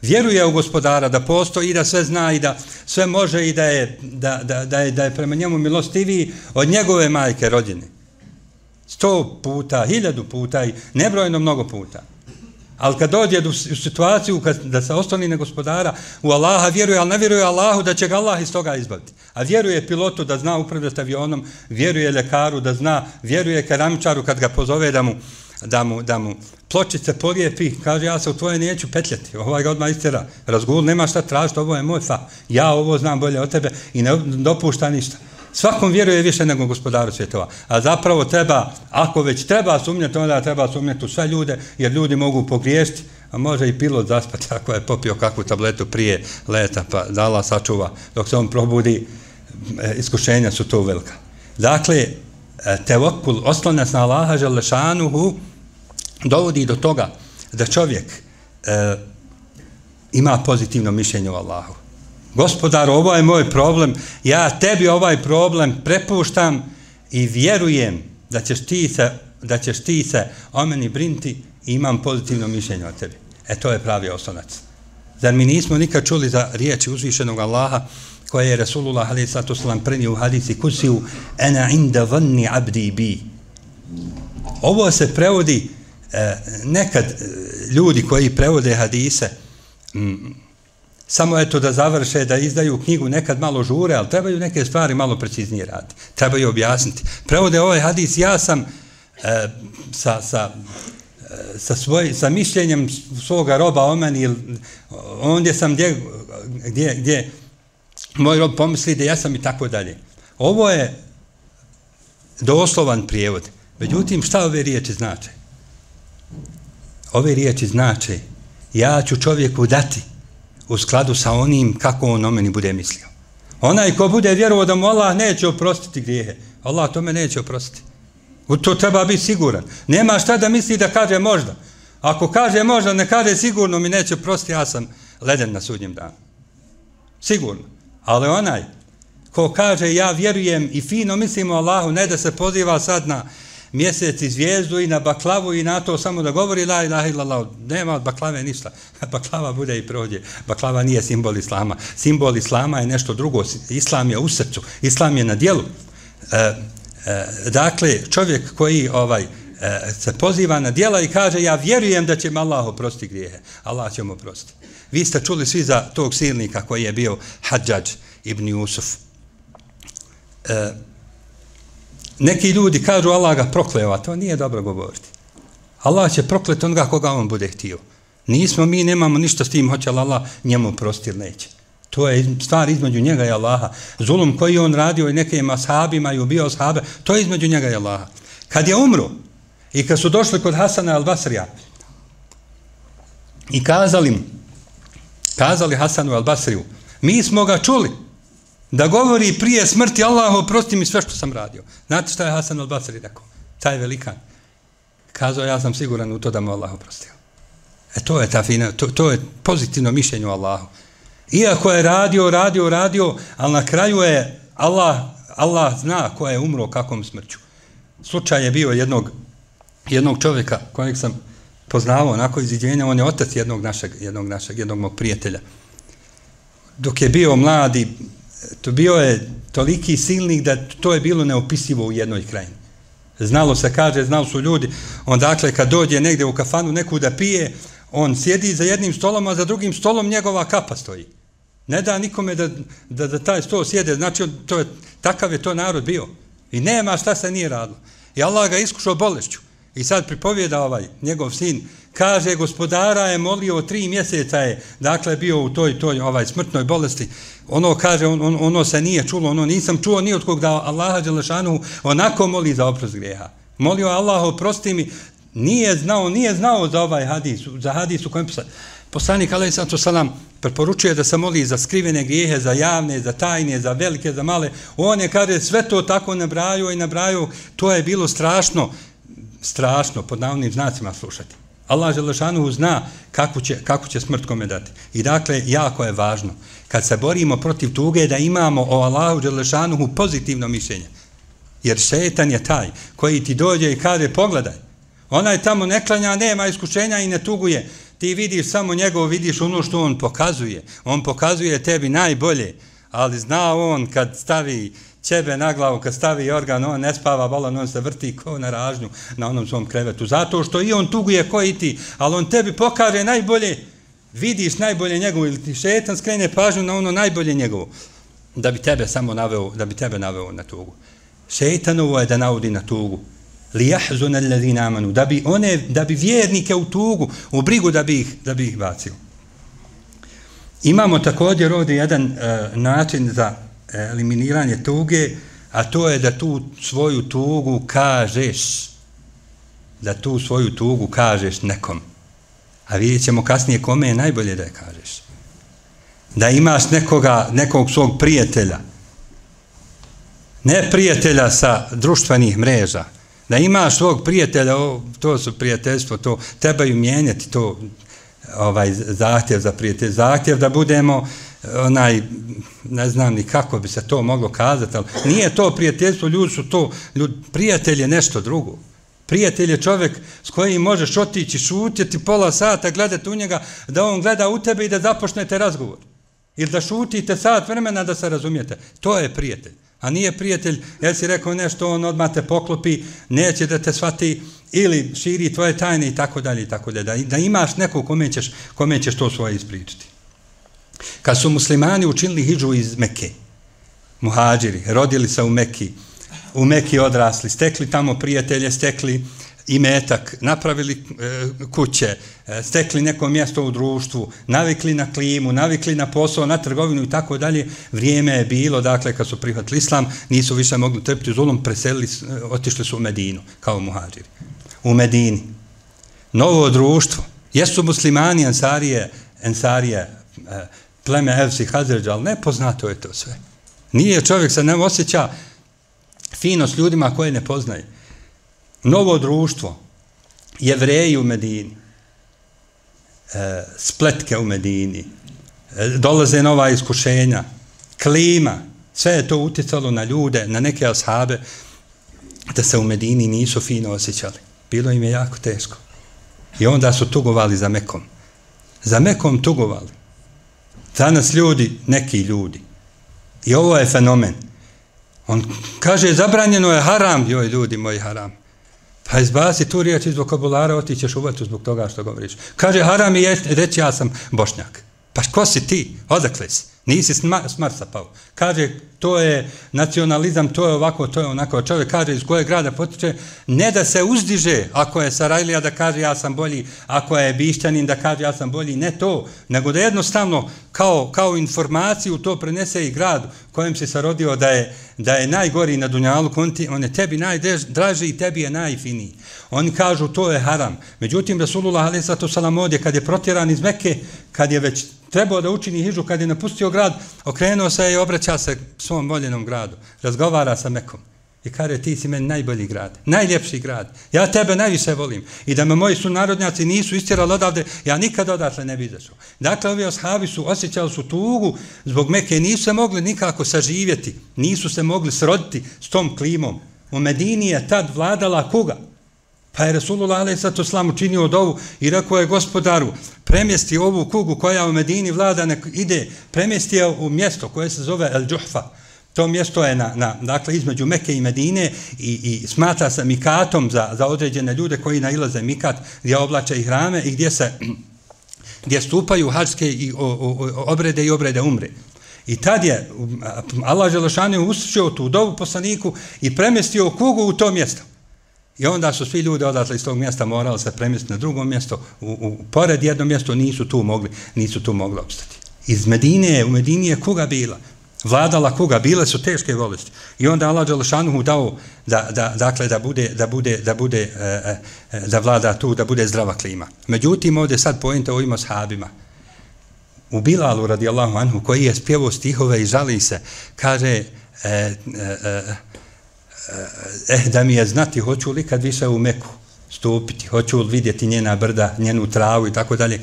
Vjeruje u gospodara, da postoji i da sve zna i da sve može i da je, da, da, da je, da je prema njemu milostiviji od njegove majke rođene. Sto puta, hiljadu puta i nebrojeno mnogo puta. Ali kad dođe u situaciju kad, da se osloni na gospodara, u Allaha vjeruje, ali ne vjeruje Allahu da će ga Allah iz toga izbaviti. A vjeruje pilotu da zna upravljati avionom, vjeruje ljekaru da zna, vjeruje keramičaru kad ga pozove da mu, da mu, da mu pločice polijepi, kaže ja se u tvoje neću petljati, ovaj ga odmah istjera, razgul, nema šta tražiti, ovo je moj fa, ja ovo znam bolje od tebe i ne dopušta ništa. Svakom vjeruje više nego gospodaru svjetova. A zapravo treba, ako već treba sumnjati, onda treba sumnjati u sve ljude, jer ljudi mogu pogriješiti, a može i pilot zaspati ako je popio kakvu tabletu prije leta, pa da Allah sačuva. Dok se on probudi, iskušenja su to velika. Dakle, tevakul, oslonac na Allaha želešanuhu, dovodi do toga da čovjek e, ima pozitivno mišljenje o Allahu. Gospodar, ovo je moj problem, ja tebi ovaj problem prepuštam i vjerujem da ćeš ti se, da ćeš ti se o meni brinti i imam pozitivno mišljenje o tebi. E to je pravi oslonac. Zar mi nismo nikad čuli za riječi uzvišenog Allaha koje je Resulullah alejhi salatu vesselam prenio u hadisi kusiju ana inda zanni abdi bi. Ovo se prevodi eh, nekad eh, ljudi koji prevode hadise mm, samo eto da završe, da izdaju knjigu, nekad malo žure, ali trebaju neke stvari malo preciznije raditi. Trebaju objasniti. Prevode ovaj hadis, ja sam e, sa, sa, e, sa, svoj, sa mišljenjem svoga roba o meni, ondje sam gdje, gdje, gdje moj rob pomisli da ja sam i tako dalje. Ovo je doslovan prijevod. Međutim, šta ove riječi znače? Ove riječi znače, ja ću čovjeku dati u skladu sa onim kako on o meni bude mislio. Onaj ko bude vjerovao da mu Allah neće oprostiti grijehe, Allah tome neće oprostiti. U to treba biti siguran. Nema šta da misli da kaže možda. Ako kaže možda, ne kaže sigurno mi neće oprostiti, ja sam leden na sudnjem danu. Sigurno. Ali onaj ko kaže ja vjerujem i fino mislim o Allahu, ne da se poziva sad na mjesec i zvijezdu i na baklavu i na to samo da govori la ilaha illallah, nema od baklave ništa. Baklava bude i prođe. Baklava nije simbol islama. Simbol islama je nešto drugo. Islam je u srcu. Islam je na dijelu. E, e, dakle, čovjek koji ovaj e, se poziva na dijela i kaže ja vjerujem da će mi Allah oprostiti grijehe. Allah će mu oprostiti. Vi ste čuli svi za tog silnika koji je bio Hadžadž ibn Jusuf. E, Neki ljudi kažu Allah ga prokleo, a to nije dobro govoriti. Allah će prokleti onoga koga on bude htio. Nismo, mi nemamo ništa s tim, hoće li Allah njemu oprostiti ili neće. To je stvar između njega i Allaha. Zulum koji on radio i nekim ashabima i ubio ashabe, to je između njega i Allaha. Kad je umro i kad su došli kod Hasana al-Basrija i kazali, kazali Hasanu al-Basriju, mi smo ga čuli da govori prije smrti Allahu oprosti mi sve što sam radio. Znate šta je Hasan al-Basri rekao? Taj velikan. Kazao ja sam siguran u to da mu Allah oprostio. E to je ta fina, to, to je pozitivno mišljenje o Allahu. Iako je radio, radio, radio, ali na kraju je Allah, Allah zna ko je umro kakvom smrću. Slučaj je bio jednog, jednog čovjeka kojeg sam poznavao onako iziđenja, on je otac jednog našeg, jednog našeg, jednog mog prijatelja. Dok je bio mladi, to bio je toliki silnik da to je bilo neopisivo u jednoj krajini. Znalo se, kaže, znali su ljudi, on dakle kad dođe negdje u kafanu neku da pije, on sjedi za jednim stolom, a za drugim stolom njegova kapa stoji. Ne da nikome da, da, da taj sto sjede, znači to je, takav je to narod bio. I nema šta se nije radilo. I Allah ga iskušao bolešću. I sad pripovijeda ovaj njegov sin, kaže gospodara je molio tri mjeseca je, dakle bio u toj toj ovaj smrtnoj bolesti. Ono kaže on, on, ono se nije čulo, ono nisam čuo ni od kog da Allaha dželešanu onako moli za oprost grijeha. Molio Allah oprosti mi, nije znao, nije znao za ovaj hadis, za hadis u kojem poslanik alejhi selam preporučuje da se moli za skrivene grijehe, za javne, za tajne, za velike, za male. On je kaže sve to tako nabrajao i nabrajao, to je bilo strašno, strašno pod navodnim znacima slušati. Allah dželešanu zna kako će, kako će smrt kome dati. I dakle, jako je važno, kad se borimo protiv tuge, da imamo o Allahu dželešanu pozitivno mišljenje. Jer šetan je taj koji ti dođe i kaže, pogledaj, onaj tamo ne klanja, nema iskušenja i ne tuguje. Ti vidiš samo njegov, vidiš ono što on pokazuje. On pokazuje tebi najbolje, ali zna on kad stavi ćebe na glavu, kad stavi organ, on ne spava, bolan, on se vrti ko na ražnju na onom svom krevetu. Zato što i on tuguje ko i ti, ali on tebi pokaže najbolje, vidiš najbolje njegovo, ili ti šetan skrene pažnju na ono najbolje njegovo, da bi tebe samo naveo, da bi tebe naveo na tugu. Šetanovo je da navodi na tugu. Lijahzuna allazina amanu, da bi one, da bi vjernike u tugu, u brigu da bi ih, da bi ih bacio. Imamo također ovdje jedan uh, način za eliminiranje tuge, a to je da tu svoju tugu kažeš, da tu svoju tugu kažeš nekom. A vidjet ćemo kasnije kome je najbolje da je kažeš. Da imaš nekoga, nekog svog prijatelja, ne prijatelja sa društvenih mreža, da imaš svog prijatelja, o, to su prijateljstvo, to trebaju mijenjati to, ovaj zahtjev za prijatelj, zahtjev da budemo onaj, ne znam ni kako bi se to moglo kazati, ali nije to prijateljstvo, ljudi su to, ljudi, prijatelj je nešto drugo. Prijatelj je čovjek s kojim možeš otići, šutiti pola sata, gledati u njega, da on gleda u tebe i da započnete razgovor. Ili da šutite sat vremena da se razumijete. To je prijatelj. A nije prijatelj, jer si rekao nešto, on odmah te poklopi, neće da te shvati ili širi tvoje tajne i tako dalje i tako dalje. Da, da imaš nekog kome ćeš, kome ćeš to svoje ispričati. Kad su muslimani učinili hidžu iz Mekke, muhađiri, rodili se u Mekki, u Mekki odrasli, stekli tamo prijatelje, stekli imetak, napravili e, kuće, e, stekli neko mjesto u društvu, navikli na klimu, navikli na posao, na trgovinu i tako dalje. Vrijeme je bilo, dakle, kad su prihvatili islam, nisu više mogli trpiti zulum, preselili, otišli su u Medinu, kao muhađiri. U Medini. Novo društvo. Jesu muslimani, ensarije, ensarije, e, pleme Evsi, Hazređa, ali nepoznato je to sve. Nije čovjek se ne osjeća fino s ljudima koje ne poznaje. Novo društvo, Jevreji u Medini, e, spletke u Medini, e, dolaze nova iskušenja, klima, sve je to utjecalo na ljude, na neke ashabe, da se u Medini nisu fino osjećali. Bilo im je jako teško. I onda su tugovali za Mekom. Za Mekom tugovali. Danas ljudi, neki ljudi. I ovo je fenomen. On kaže, zabranjeno je haram, joj ljudi moji haram. Pa izbaci tu riječ iz vokabulara, otićeš u vatru zbog toga što govoriš. Kaže, haram je reći ja sam Bošnjak. Pa ko si ti? Odakle si? Nisi s Marsa pao. Kaže, to je nacionalizam, to je ovako, to je onako. Čovjek kaže iz kojeg grada potiče, ne da se uzdiže, ako je Sarajlija da kaže ja sam bolji, ako je Bišćanin da kaže ja sam bolji, ne to, nego da jednostavno kao, kao informaciju to prenese i grad kojem si se rodio da je, da je najgori na dunjalu, on, ti, on je tebi najdraži i tebi je najfiniji. Oni kažu to je haram. Međutim, Rasulullah alejhi salatu vesselam ovdje kad je protjeran iz Mekke, kad je već trebao da učini hidžu, kad je napustio grad, okrenuo se i obraća se svom voljenom gradu. Razgovara sa Mekom. I kaže, ti si meni najbolji grad, najljepši grad. Ja tebe najviše volim. I da me moji sunarodnjaci nisu istjerali odavde, ja nikad odatle ne bi izašao. Dakle, ovi ashabi su osjećali su tugu zbog Mekke, nisu se mogli nikako saživjeti, nisu se mogli sroditi s tom klimom. U Medini je tad vladala kuga. Pa je Rasulullah alejhi salatu vesselam učinio dovu i rekao je gospodaru, premjesti ovu kugu koja u Medini vlada, nek ide, premjesti je u mjesto koje se zove El Džuhfa. To mjesto je na, na, dakle, između Mekke i Medine i, i smatra se mikatom za, za određene ljude koji nailaze mikat, gdje oblače i hrame i gdje se gdje stupaju hađske i o, o, obrede i obrede umre. I tad je Allah Želešanu uslišio tu dovu poslaniku i premjestio kugu u to mjesto. I onda su svi ljudi odatle iz tog mjesta morali se premjestiti na drugo mjesto, u, u, pored jedno mjesto nisu tu mogli, nisu tu mogli opstati. Iz Medine, u Medini je kuga bila, vladala kuga, bile su teške bolesti. I onda Allah Đelešanu dao da, da, dakle, da bude, da bude, da bude, e, e, da vlada tu, da bude zdrava klima. Međutim, ovdje sad pojente o ovim ashabima. U Bilalu, radijallahu anhu, koji je spjevao stihove i žali se, kaže, e, e, e, eh, da mi je znati, hoću li kad više u Meku stupiti, hoću li vidjeti njena brda, njenu travu i tako dalje.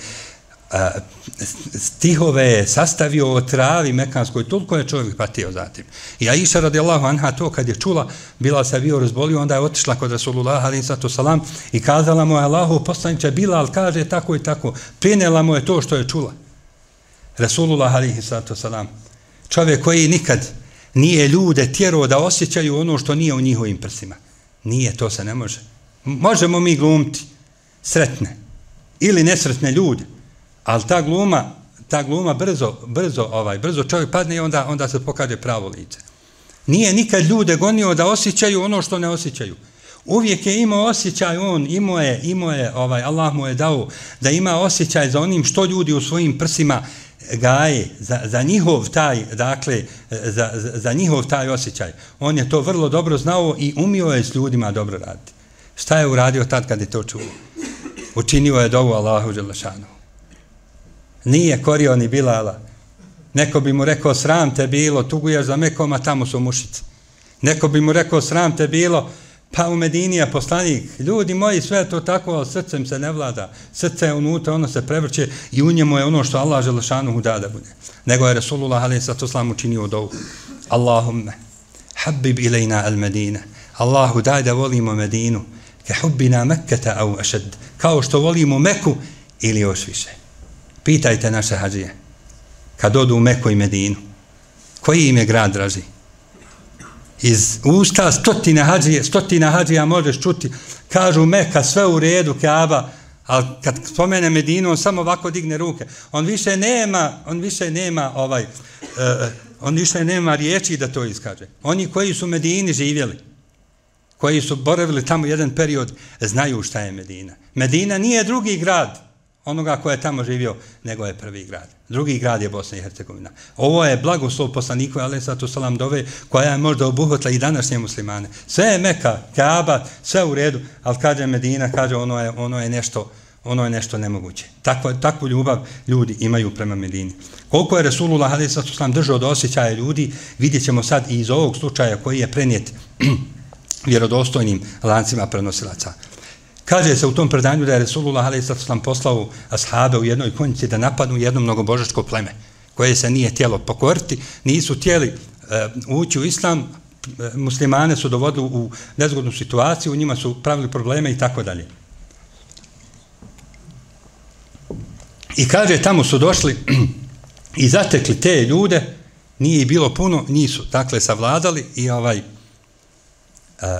Stihove je sastavio o travi mekanskoj, toliko je čovjek patio zatim. I Aisha radijallahu anha to kad je čula, Bilal se bio razbolio, onda je otišla kod Rasulullah alejhi salam i kazala mu je Allahu poslaniče, Bilal kaže tako i tako, prenijela mu je to što je čula. Rasulullah alejhi salam, čovjek koji nikad nije ljude tjerao da osjećaju ono što nije u njihovim prsima. Nije, to se ne može. Možemo mi glumiti sretne ili nesretne ljude, ali ta gluma, ta gluma brzo, brzo, ovaj, brzo čovjek padne i onda, onda se pokaže pravo lice. Nije nikad ljude gonio da osjećaju ono što ne osjećaju. Uvijek je imao osjećaj on, imao je, imao je, ovaj, Allah mu je dao da ima osjećaj za onim što ljudi u svojim prsima gaje, za, za njihov taj, dakle, za, za njihov taj osjećaj. On je to vrlo dobro znao i umio je s ljudima dobro raditi. Šta je uradio tad kad je to čuo? Učinio je dovu Allahu dželešanu. Nije korio ni Bilala. Neko bi mu rekao, sram te bilo, tuguješ za Mekom, a tamo su mušice. Neko bi mu rekao, sram te bilo, pa u Medini je poslanik. Ljudi moji, sve je to tako, ali srcem se ne vlada. Srce je unutra, ono se prevrće i u njemu je ono što Allah želešanu da da bude. Nego je Rasulullah alejhi salam učinio dovu. Allahumme, habib ilajna al Medina. Allahu, daj da volimo Medinu, ke hubbina Mekketa au ašed. Kao što volimo Meku ili još više. Pitajte naše hađije, kad odu u Meku i Medinu, koji im je grad draži? Iz usta stotina hađija, stotina hađija možeš čuti, kažu Meka, sve u redu, Kaaba, ali kad spomene Medinu, on samo ovako digne ruke. On više nema, on više nema ovaj, uh, on više nema riječi da to iskaže. Oni koji su u Medini živjeli, koji su boravili tamo jedan period, znaju šta je Medina. Medina nije drugi grad onoga ko je tamo živio, nego je prvi grad. Drugi grad je Bosna i Hercegovina. Ovo je blagoslov poslaniku alejhi salam dove, koja je možda obuhvatila i današnje muslimane. Sve je Meka, Kaaba, sve u redu, ali kaže Medina, kaže ono je, ono je nešto, ono je nešto nemoguće. Takvu, takvu ljubav ljudi imaju prema Medini. Koliko je Rasulullah alejhi salam držao do osjećaja ljudi, vidjet ćemo sad i iz ovog slučaja koji je prenijet vjerodostojnim lancima prenosilaca. Kaže se u tom predanju da je Rasulullah alejhi salam poslao ashabe u jednoj konjici da napadnu jedno mnogobožačko pleme koje se nije htjelo pokoriti, nisu htjeli uh, ući u islam, muslimane su dovodili u nezgodnu situaciju, u njima su pravili probleme i tako dalje. I kaže, tamo su došli i zatekli te ljude, nije bilo puno, nisu, dakle, savladali i ovaj,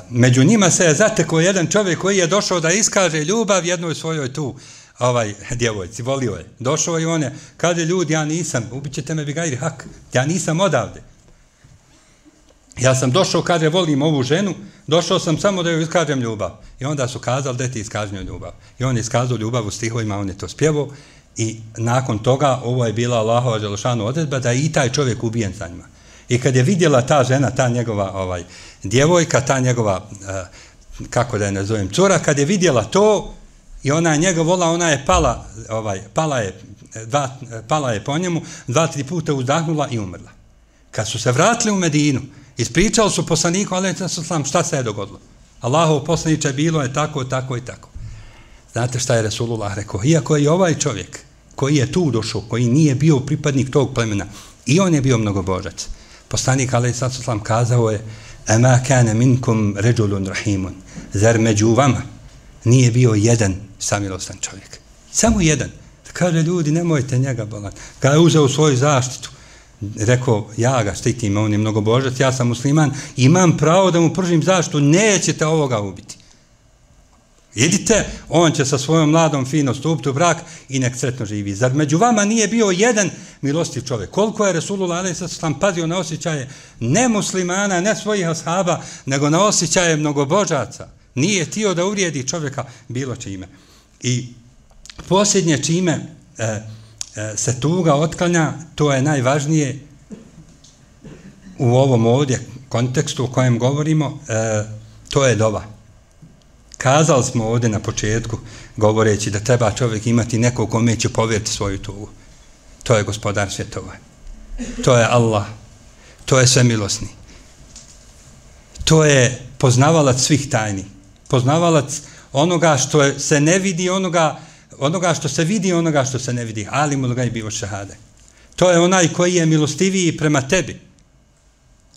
među njima se je zatekao jedan čovjek koji je došao da iskaže ljubav jednoj svojoj tu ovaj, djevojci, volio je. Došao i on je, kaže, ljudi, ja nisam, ubit ćete me bigajri hak, ja nisam odavde. Ja sam došao, kaže, volim ovu ženu, došao sam samo da joj iskažem ljubav. I onda su kazali, da ti iskažem ljubav. I on je iskazao ljubav u stihovima, on je to spjevao i nakon toga ovo je bila Allahova dželešanu odredba da je i taj čovjek ubijen za njima. I kad je vidjela ta žena, ta njegova ovaj, djevojka, ta njegova, uh, kako da je nazovem, cura, kad je vidjela to i ona je njega vola, ona je pala, ovaj, pala, je, dva, pala je po njemu, dva, tri puta uzdahnula i umrla. Kad su se vratili u Medinu, ispričali su poslaniku, alejhi salam, šta se je dogodilo. Allahov poslaniče, bilo je tako, tako i tako. Znate šta je Rasulullah rekao? Iako je ovaj čovjek koji je tu došao, koji nije bio pripadnik tog plemena, i on je bio mnogobožac. Poslanik alejhi salam kazao je: "Ama kana minkum rajulun rahimun." Zar među vama nije bio jedan samilostan čovjek? Samo jedan. Kaže, ljudi, nemojte njega bolan. Kada je uzeo svoju zaštitu, rekao, ja ga štitim, on je mnogobožac, ja sam musliman, imam pravo da mu pružim zaštitu, nećete ovoga ubiti. Idite, on će sa svojom mladom fino stupiti u brak i nek sretno živi. Zar među vama nije bio jedan milostiv čovjek? Koliko je Resulullah alejhi ve sellem pazio na osjećaje ne muslimana, ne svojih ashaba, nego na osjećaje mnogobožaca. Nije htio da uvrijedi čovjeka bilo čime. I posljednje čime e, e, se tuga otklanja, to je najvažnije u ovom ovdje kontekstu o kojem govorimo, e, to je dova. Kazali smo ovdje na početku, govoreći da treba čovjek imati nekog kome će povjeriti svoju tugu. To je gospodar svjetova. To je Allah. To je svemilosni. To je poznavalac svih tajni. Poznavalac onoga što je, se ne vidi, onoga, onoga što se vidi, onoga što se ne vidi. Alimul gajbi wa šehade. To je onaj koji je milostiviji prema tebi.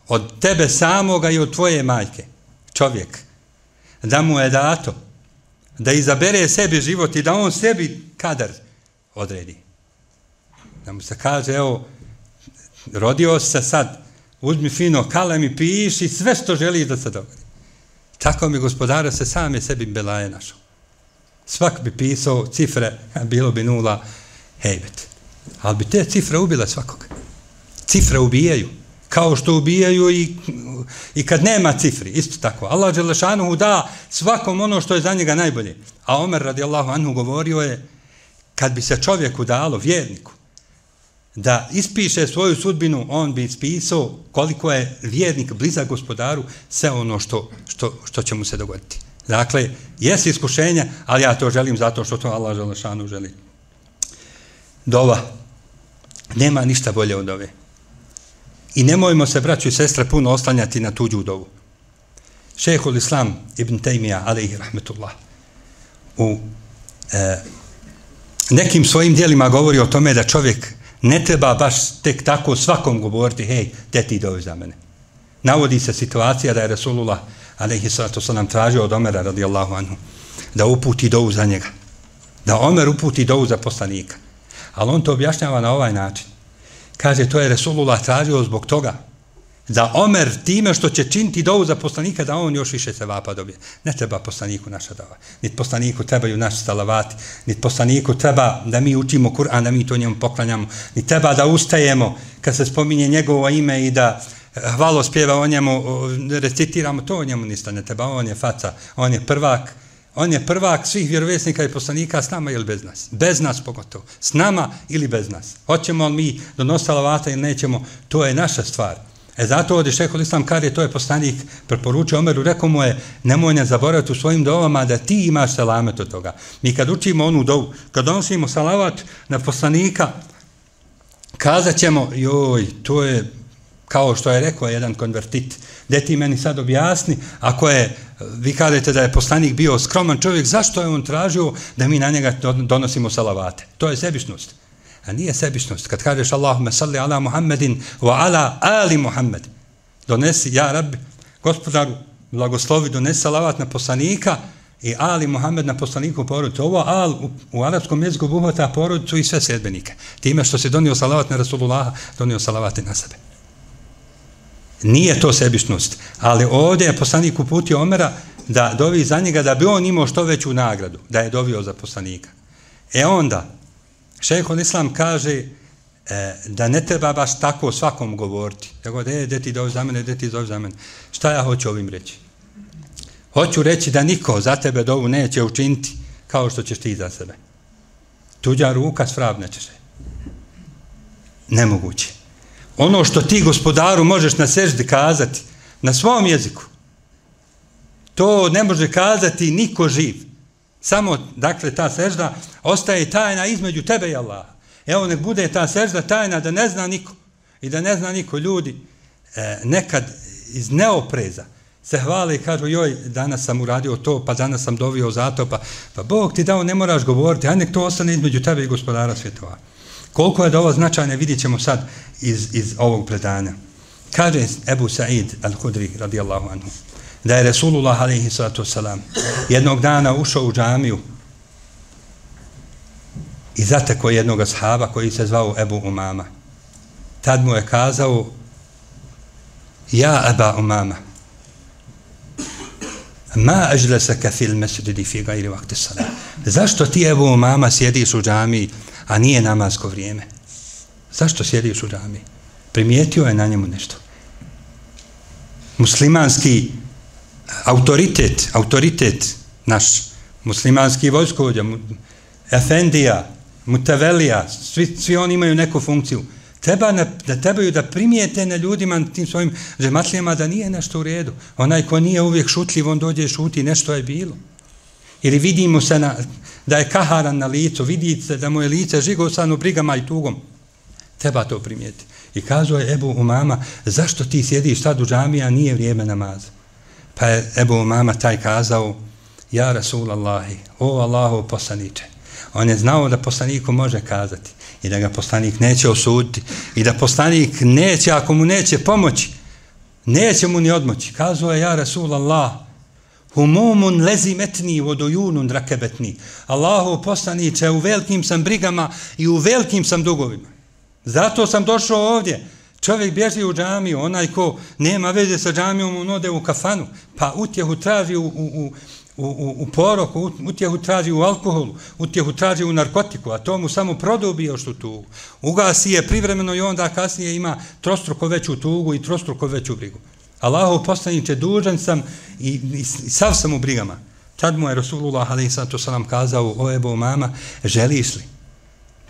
Od tebe samoga i od tvoje majke. Čovjek. Da mu je dato. Da izabere sebi život i da on sebi kadar odredi. Da mu se kaže, evo, rodio se sad, uzmi fino kalem i piši sve što želiš da se dogodi. Tako mi gospodara se sam je sebi belaje našao. Svak bi pisao cifre, bilo bi nula, hejbet. Ali bi te cifre ubile svakog. Cifre ubijaju. Kao što ubijaju i, i kad nema cifri, isto tako. Allah dželešanuhu da svakom ono što je za njega najbolje. A Omer radijallahu anhu govorio je, kad bi se čovjeku dalo, vjerniku, da ispiše svoju sudbinu, on bi ispisao koliko je vjernik blizak gospodaru, sve ono što, što, što će mu se dogoditi. Dakle, jesi iskušenje, ali ja to želim zato što to Allah dželešanuhu želi. Dova. Nema ništa bolje od ove. I nemojmo se, braćo i sestre, puno oslanjati na tuđu dovu. Šejhul Islam ibn Tejmija, alejhi rahmetullah, u e, nekim svojim dijelima govori o tome da čovjek ne treba baš tek tako svakom govoriti, hej, te ti dovi za mene. Navodi se situacija da je Resulullah, alejhi salatu selam, tražio od Omera, radijallahu anhu, da uputi dovu za njega. Da Omer uputi dovu za poslanika. Ali on to objašnjava na ovaj način. Kaže, to je Resulullah tražio zbog toga da Omer time što će činiti dovu za poslanika, da on još više se vapa dobije. Ne treba poslaniku naša dova. Niti poslaniku trebaju naši salavati. Niti poslaniku treba da mi učimo Kur'an, da mi to njemu poklanjamo. Niti treba da ustajemo kad se spominje njegovo ime i da hvalospjeva o njemu, recitiramo, to o njemu ništa ne treba. On je faca, on je prvak. On je prvak svih vjerovjesnika i poslanika s nama ili bez nas. Bez nas pogotovo. S nama ili bez nas. Hoćemo li mi donositi salavata ili nećemo, to je naša stvar. E zato ovdje šejhul Islam kaže, to je poslanik preporučio Omeru, rekao mu je, nemoj ne zaboraviti u svojim dovama da ti imaš selamet od toga. Mi kad učimo onu dovu, kad donosimo salavat na poslanika, kazat ćemo, joj, to je kao što je rekao jedan konvertit, gdje ti meni sad objasni, ako je, vi kažete da je poslanik bio skroman čovjek, zašto je on tražio da mi na njega donosimo salavate? To je sebičnost. A nije sebičnost. Kad kažeš Allahumme salli ala Muhammedin wa ala ali Muhammed, donesi, ja Rabbi, gospodaru, blagoslovi, donesi salavat na poslanika i ali Muhammed na poslaniku porodicu. Ovo al u, u arapskom jeziku obuhvata porodicu i sve sledbenike. Time što se donio salavat na Rasulullaha, donio salavate na sebe. Nije to sebičnost, ali ovdje je poslanik uputio Omera da dovi za njega da bi on imao što veću nagradu, da je dovio za poslanika. E onda, šejhul Islam kaže e, da ne treba baš tako svakom govoriti. Tako da je, de ti dovi za mene, de ti dovi za mene. Šta ja hoću ovim reći? Hoću reći da niko za tebe dovu neće učiniti kao što ćeš ti za sebe. Tuđa ruka svrabneće se. Nemoguće. Ono što ti gospodaru možeš na seždi kazati, na svom jeziku, to ne može kazati niko živ. Samo, dakle, ta sežda ostaje tajna između tebe i Allaha. Evo, nek bude ta sežda tajna da ne zna niko. I da ne zna niko ljudi e, nekad iz neopreza se hvale i kažu, joj, danas sam uradio to, pa danas sam dovio zato, pa, pa Bog ti dao, ne moraš govoriti, a nek to ostane između tebe i gospodara svjetova. Koliko je da ovo značajne, vidjet ćemo sad iz, iz ovog predanja. Kaže Ebu Sa'id al-Hudri, radijallahu anhu, da je Resulullah, alejhi salatu wasalam, jednog dana ušao u džamiju i zatekao jednog ashaba koji se zvao Ebu Umama. Tad mu je kazao, ja Eba Umama, Ma ajlasaka fil mesjidi fi gajri vakti salat. Zašto ti, Ebu Umama, sjediš u džamiji, a nije namasko vrijeme? Zašto sjediš u džamiji? Primijetio je na njemu nešto. Muslimanski autoritet, autoritet naš, muslimanski vojskovođa, efendija, mutavelija, svi, svi oni imaju neku funkciju. Treba na, da trebaju da primijete na ljudima, na tim svojim džematlijama, da nije nešto u redu. Onaj ko nije uvijek šutljiv, on dođe šuti, nešto je bilo. Ili vidimo se na, da je kaharan na licu, vidite da mu je lice žigosano brigama i tugom. Treba to primijeti. I kazao je Ebu Umama, zašto ti sjediš sad u džamiji, a nije vrijeme namaza? Pa je Ebu Umama taj kazao, ja Rasulallahi, o Allahu poslaniče. On je znao da poslaniku može kazati i da ga poslanik neće osuditi i da poslanik neće, ako mu neće pomoći, neće mu ni odmoći. Kazao je, ja Rasulallah, humumun lezimetni vodojunun rakebetni. Allahu poslaniče, u velikim sam brigama i u velikim sam dugovima. Zato sam došao ovdje. Čovjek bježi u džamiju, onaj ko nema veze sa džamijom, on ode u kafanu, pa utjehu traži u, u, u, u, u poroku, utjehu traži u alkoholu, utjehu traži u narkotiku, a to mu samo produbi još u tugu. Ugasi je privremeno i onda kasnije ima trostruko veću tugu i trostruko veću brigu. Allahov poslaniče, dužan sam i, i, i sav sam u brigama. Tad mu je Rasulullah alejhi salatu vesselam kazao, o Ebu Umama, želiš li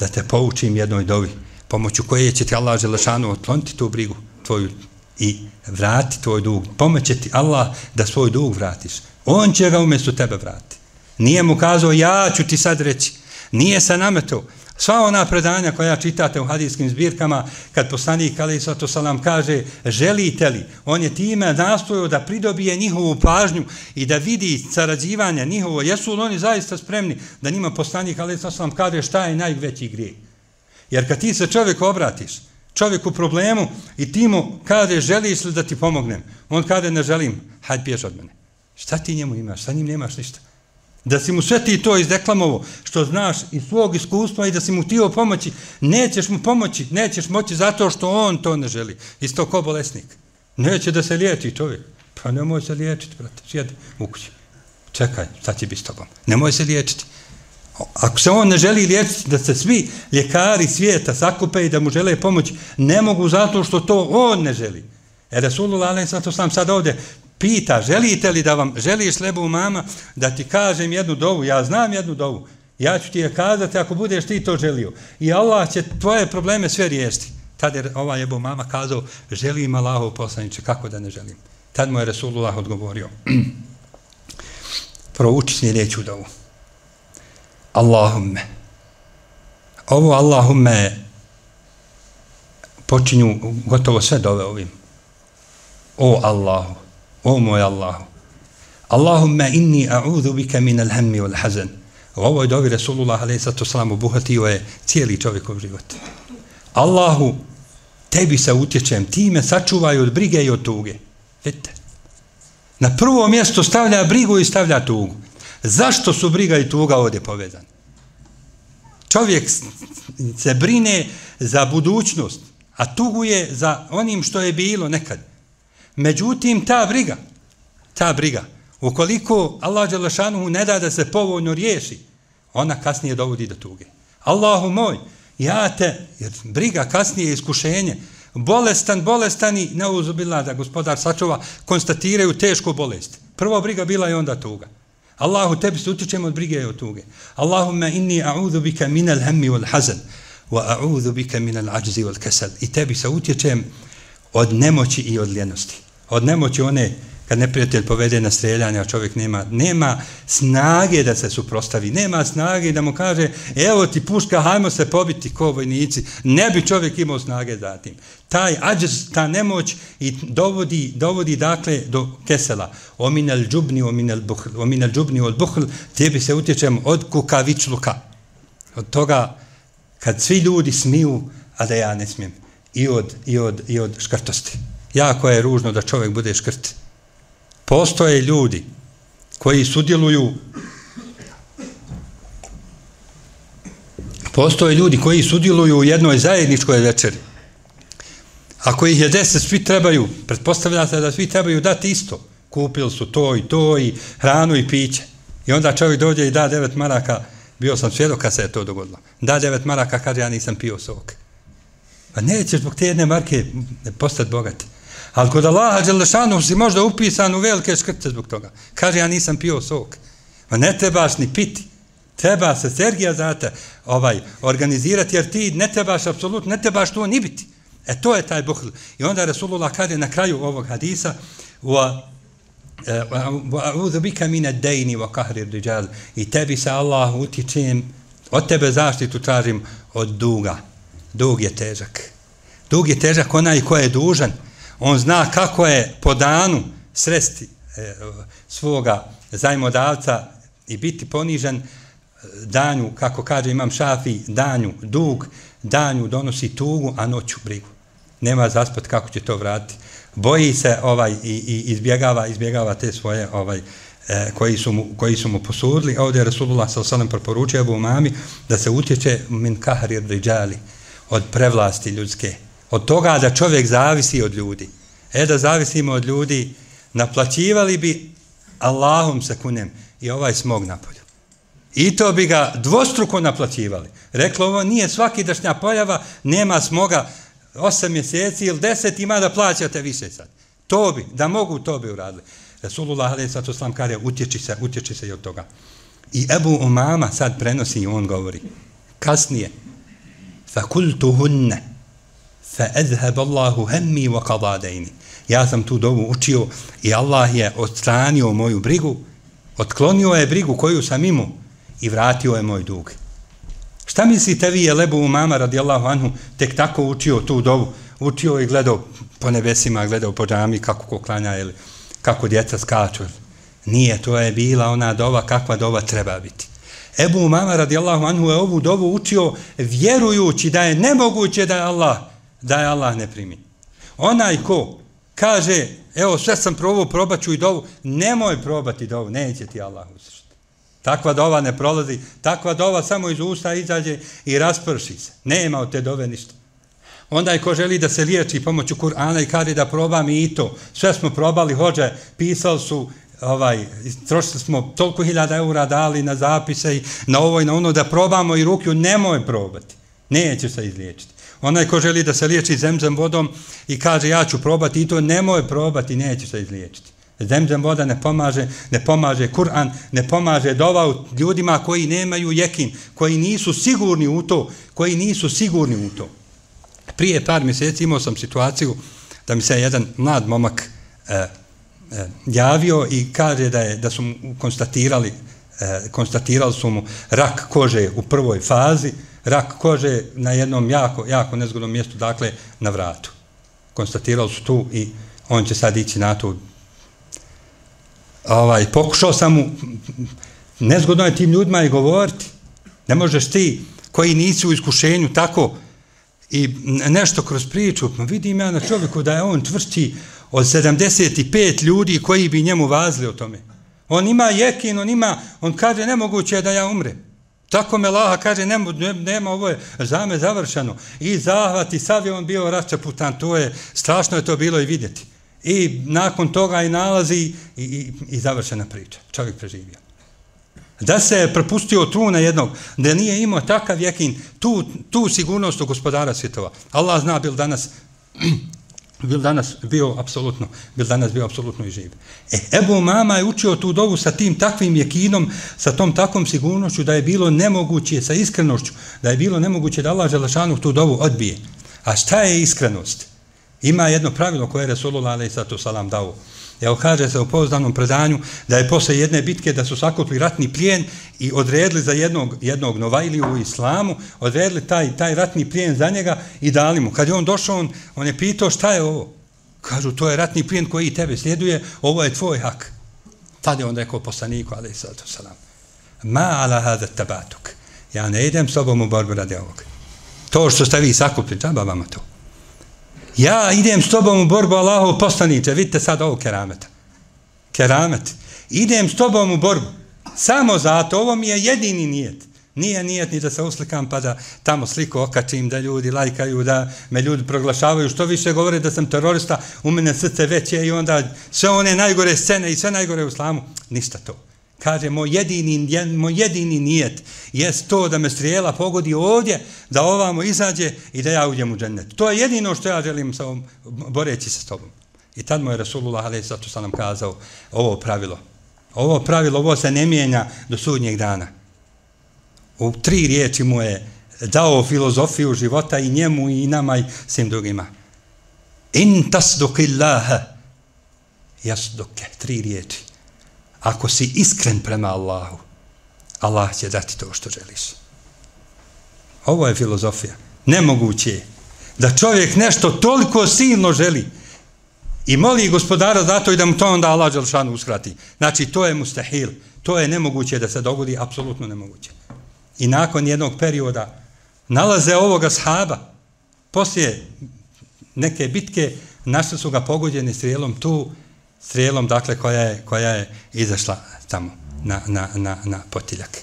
da te poučim jednoj dovi, pomoću koje će ti Allah Želešanu otkloniti tu brigu tvoju i vrati tvoj dug. Pomoće ti Allah da svoj dug vratiš. On će ga umjesto tebe vrati. Nije mu kazao, ja ću ti sad reći. Nije se nametao. Sva ona predanja koja čitate u hadijskim zbirkama, kad poslanik alejhi salatu vesselam kaže, želite li, on je time nastojao da pridobije njihovu pažnju i da vidi sarađivanje njihovo, jesu li oni zaista spremni da njima poslanik alejhi salatu vesselam kaže šta je najveći grijeh. Jer kad ti se čovjek obratiš, čovjek u problemu i ti mu kaže, želiš li da ti pomognem? On kaže, ne želim, hajde bjež od mene. Šta ti njemu imaš? Sa njim nemaš ništa. Da si mu sve ti to izdeklamovo, što znaš iz svog iskustva i da si mu htio pomoći, nećeš mu pomoći, nećeš moći zato što on to ne želi. Isto ko bolesnik. Neće da se liječi čovjek. Pa nemoj se liječiti, brate, sjedi u kući. Čekaj, šta će biti s tobom? Nemoj se liječiti. Ako se on ne želi liječiti, da se svi ljekari svijeta sakupe i da mu žele pomoći, ne mogu zato što to on ne želi. E Rasulullah alejhi salatu vesselam sad ovdje pita, želite li da vam, želiš li Ebu Umama da ti kažem jednu dovu, ja znam jednu dovu, ja ću ti je kazati ako budeš ti to želio. I Allah će tvoje probleme sve riješiti. Tad je ovaj Ebu Umama kazao, želim Allahov poslaniče, kako da ne želim. Tad mu je Rasulullah odgovorio, prouči sljedeću dovu. Allahumme. Ovo Allahumme počinju gotovo sve dove ovim. O Allahu, o moj Allahu. Allahumme inni a'udhu bika min al-hammi wal-hazan. U ovoj dovi Rasulullah alejhi salatu vesselam obuhvatio je cijeli čovjekov život. Allahu, tebi se utječem, ti me sačuvaj od brige i od tuge. Vidite. Na prvo mjesto stavlja brigu i stavlja tugu. Zašto su briga i tuga ovdje povezani? Čovjek se brine za budućnost, a tuguje za onim što je bilo nekad. Međutim, ta briga, ta briga, ukoliko Allah Đelešanuhu ne da da se povoljno riješi, ona kasnije dovodi do tuge. Allahu moj, ja te, jer briga kasnije je iskušenje, bolestan, bolestan i neuzubila da gospodar sačuva, konstatiraju tešku bolest. Prvo briga bila i onda tuga. Allahu, tebi se utječemo od brige i od tuge. Allahumme inni a'udhu bika minal hammi wal hazan wa a'udhu bika minal ajzi wal kasal. I tebi se utječem od nemoći i od ljenosti. Od nemoći one, kad neprijatelj povede na streljanje, a čovjek nema, nema snage da se suprostavi, nema snage da mu kaže, evo ti puška, hajmo se pobiti ko vojnici. Ne bi čovjek imao snage za tim. Taj ađz, ta nemoć i dovodi, dovodi dakle do kesela. Ominal džubni, ominal buhl, ominal džubni od buhl, tebi se utječem od kukavičluka. Od toga, kad svi ljudi smiju, a da ja ne smijem. I od, i od, i od škrtosti. Jako je ružno da čovjek bude škrt. Postoje ljudi koji sudjeluju postoje ljudi koji sudjeluju u jednoj zajedničkoj večeri. Ako ih je deset, svi trebaju, pretpostavlja se da svi trebaju dati isto. kupili su to i to i hranu i piće. I onda čovjek dođe i da devet maraka, bio sam svjedok kad se je to dogodilo, da devet maraka, kaže ja nisam pio sok. Pa nećeš zbog te jedne marke postati bogati. Ali kod Allaha Đelešanu si možda upisan u velike škrce zbog toga. Kaže ja nisam pio sok. Pa ne trebaš ni piti. Treba se Sergija zate ovaj, organizirati, jer ti ne trebaš apsolutno, ne trebaš to ni biti. E to je taj buhl. I onda Rasulullah kaže na kraju ovog hadisa وَأَعُوذُ بِكَ مِنَ الدَّيْنِ وَقَهْرِ الرِّجَالِ i tebi se Allah utječem, od tebe zaštitu tražim od duga. Dug je težak. Dug je težak onaj ko je dužan. On zna kako je po danu sresti e, svoga zajmodavca i biti ponižan danju, kako kaže Imam Šafi, danju dug, danju donosi tugu, a noću brigu. Nema zaspat kako će to vratiti. Boji se ovaj i, i izbjegava, izbjegava te svoje ovaj e, koji su mu koji su mu posudili. Ovdje je Rasulullah sallallahu alejhi ve sellem preporučio Ebu Umami da se utječe min kahri ridžali, od prevlasti ljudske, od toga da čovjek zavisi od ljudi. E da zavisimo od ljudi, naplaćivali bi Allahom se kunem i ovaj smog napolju. I to bi ga dvostruko naplaćivali. Reklo, ovo nije svakidašnja pojava, nema smoga osam mjeseci ili deset, ima da plaćate više sad. To bi, da mogu, to bi uradili. Rasulullah alejhi ve sellem kaže, utječi se, utječi se i od toga. I Ebu Umama sad prenosi i on govori. Kasnije, فَكُلْتُهُنَّ فَأَذْهَبَ اللَّهُ هَمِّي وَقَضَادَيْنِ ja sam tu dovu učio i Allah je odstranio moju brigu, otklonio je brigu koju sam imao i vratio je moj dug. Šta mislite vi je Ebu Umama radijallahu anhu tek tako učio tu dovu, učio i gledao po nebesima, gledao po džami kako ko klanja ili kako djeca skaču? Nije, to je bila ona dova kakva dova treba biti. Ebu Umama radijallahu anhu je ovu dovu učio vjerujući da je nemoguće da je Allah, da je Allah ne primi. Onaj ko kaže, evo sve sam probao, probaću i dovu, nemoj probati dovu, neće ti Allah uslišiti. Takva dova ne prolazi, takva dova samo iz usta izađe i rasprši se. Nema od te dove ništa. Onda je ko želi da se liječi pomoću Kur'ana i kaže da probam i to. Sve smo probali, hođe, pisali su, ovaj, trošili smo toliko hiljada eura dali na zapise i na ovo i na ono da probamo i ruku, nemoj probati. Neće se izliječiti. Onaj ko želi da se liječi zemzem vodom i kaže ja ću probati i to, nemoj probati, neće se izliječiti. Zemzem voda ne pomaže, ne pomaže Kur'an, ne pomaže dova ljudima koji nemaju jekin, koji nisu sigurni u to, koji nisu sigurni u to. Prije par mjeseci imao sam situaciju da mi se jedan mlad momak e, e, javio i kaže da, je, da su mu konstatirali, e, konstatirali su mu rak kože u prvoj fazi, rak kože na jednom jako, jako nezgodnom mjestu, dakle na vratu. Konstatirali su tu i on će sad ići na to. Ovaj, pokušao sam mu, nezgodno je tim ljudima i govoriti. Ne možeš ti koji nisi u iskušenju tako i nešto kroz priču, vidim ja na čovjeku da je on tvršći od sedamdeset pet ljudi koji bi njemu vazili o tome. On ima jekin, on ima, on kaže nemoguće je da ja umrem. Tako me Laha kaže, nema, nema, ovo je za me završeno. I zahvat i sav je on bio raščeputan, to je, strašno je to bilo i vidjeti. I nakon toga i nalazi i, i, i završena priča. Čovjek preživio. Da se prepustio truna jednog, da nije imao takav jekin, tu, tu sigurnost u gospodara svjetova. Allah zna bil danas, bil danas bio apsolutno, bil danas bio apsolutno i živ. E, Ebu Umama je učio tu dovu sa tim takvim jekinom, sa tom takvom sigurnošću da je bilo nemoguće, sa iskrenošću, da je bilo nemoguće da Allah Đelešanu tu dovu odbije. A šta je iskrenost? Ima jedno pravilo koje je Resulullah alejhi selam dao. Evo kaže se u pouzdanom predanju da je posle jedne bitke da su sakupili ratni plijen i odredili za jednog, jednog novajliju u islamu, odredili taj, taj ratni plijen za njega i dali mu. Kad je on došao, on, on je pitao šta je ovo? Kažu, to je ratni plijen koji tebe sljeduje, ovo je tvoj hak. Tad je on rekao poslaniku, alejhi selam, ma ala hada tabatuk. Ja ne idem s tobom u borbu radi ovog. To što ste vi sakupili, džaba vama to. Ja idem s tobom u borbu, Allahov poslaniče, vidite sad ovo kerameta. Keramet. Idem s tobom u borbu. Samo zato, ovo mi je jedini nijet. Nije nijet ni da se uslikam pa da tamo sliku okačim, da ljudi lajkaju, da me ljudi proglašavaju, što više govore da sam terorista, u mene srce veće i onda sve one najgore scene i sve najgore u islamu. Ništa to. Kaže, moj jedini, moj jedini nijet jest to da me strijela pogodi ovdje, da ovamo izađe i da ja uđem u džennet. To je jedino što ja želim sa ovom, boreći se s tobom. I tad mu je Rasulullah alejhi salatu vesselam kazao ovo pravilo. Ovo pravilo, ovo se ne mijenja do sudnjeg dana. U tri riječi mu je dao filozofiju života i njemu i nama i svim drugima. In tasduqillaha yasduke. Tri riječi. Ako si iskren prema Allahu, Allah će dati to što želiš. Ovo je filozofija. Nemoguće je da čovjek nešto toliko silno želi i moli gospodara zato i da mu to onda Allah dželešanu uskrati. Znači, to je mustahil. To je nemoguće da se dogodi, apsolutno nemoguće. I nakon jednog perioda nalaze ovoga sahaba, poslije neke bitke, našli su ga pogođeni strijelom tu, strijelom, dakle, koja je, koja je izašla tamo na, na, na, na potiljak.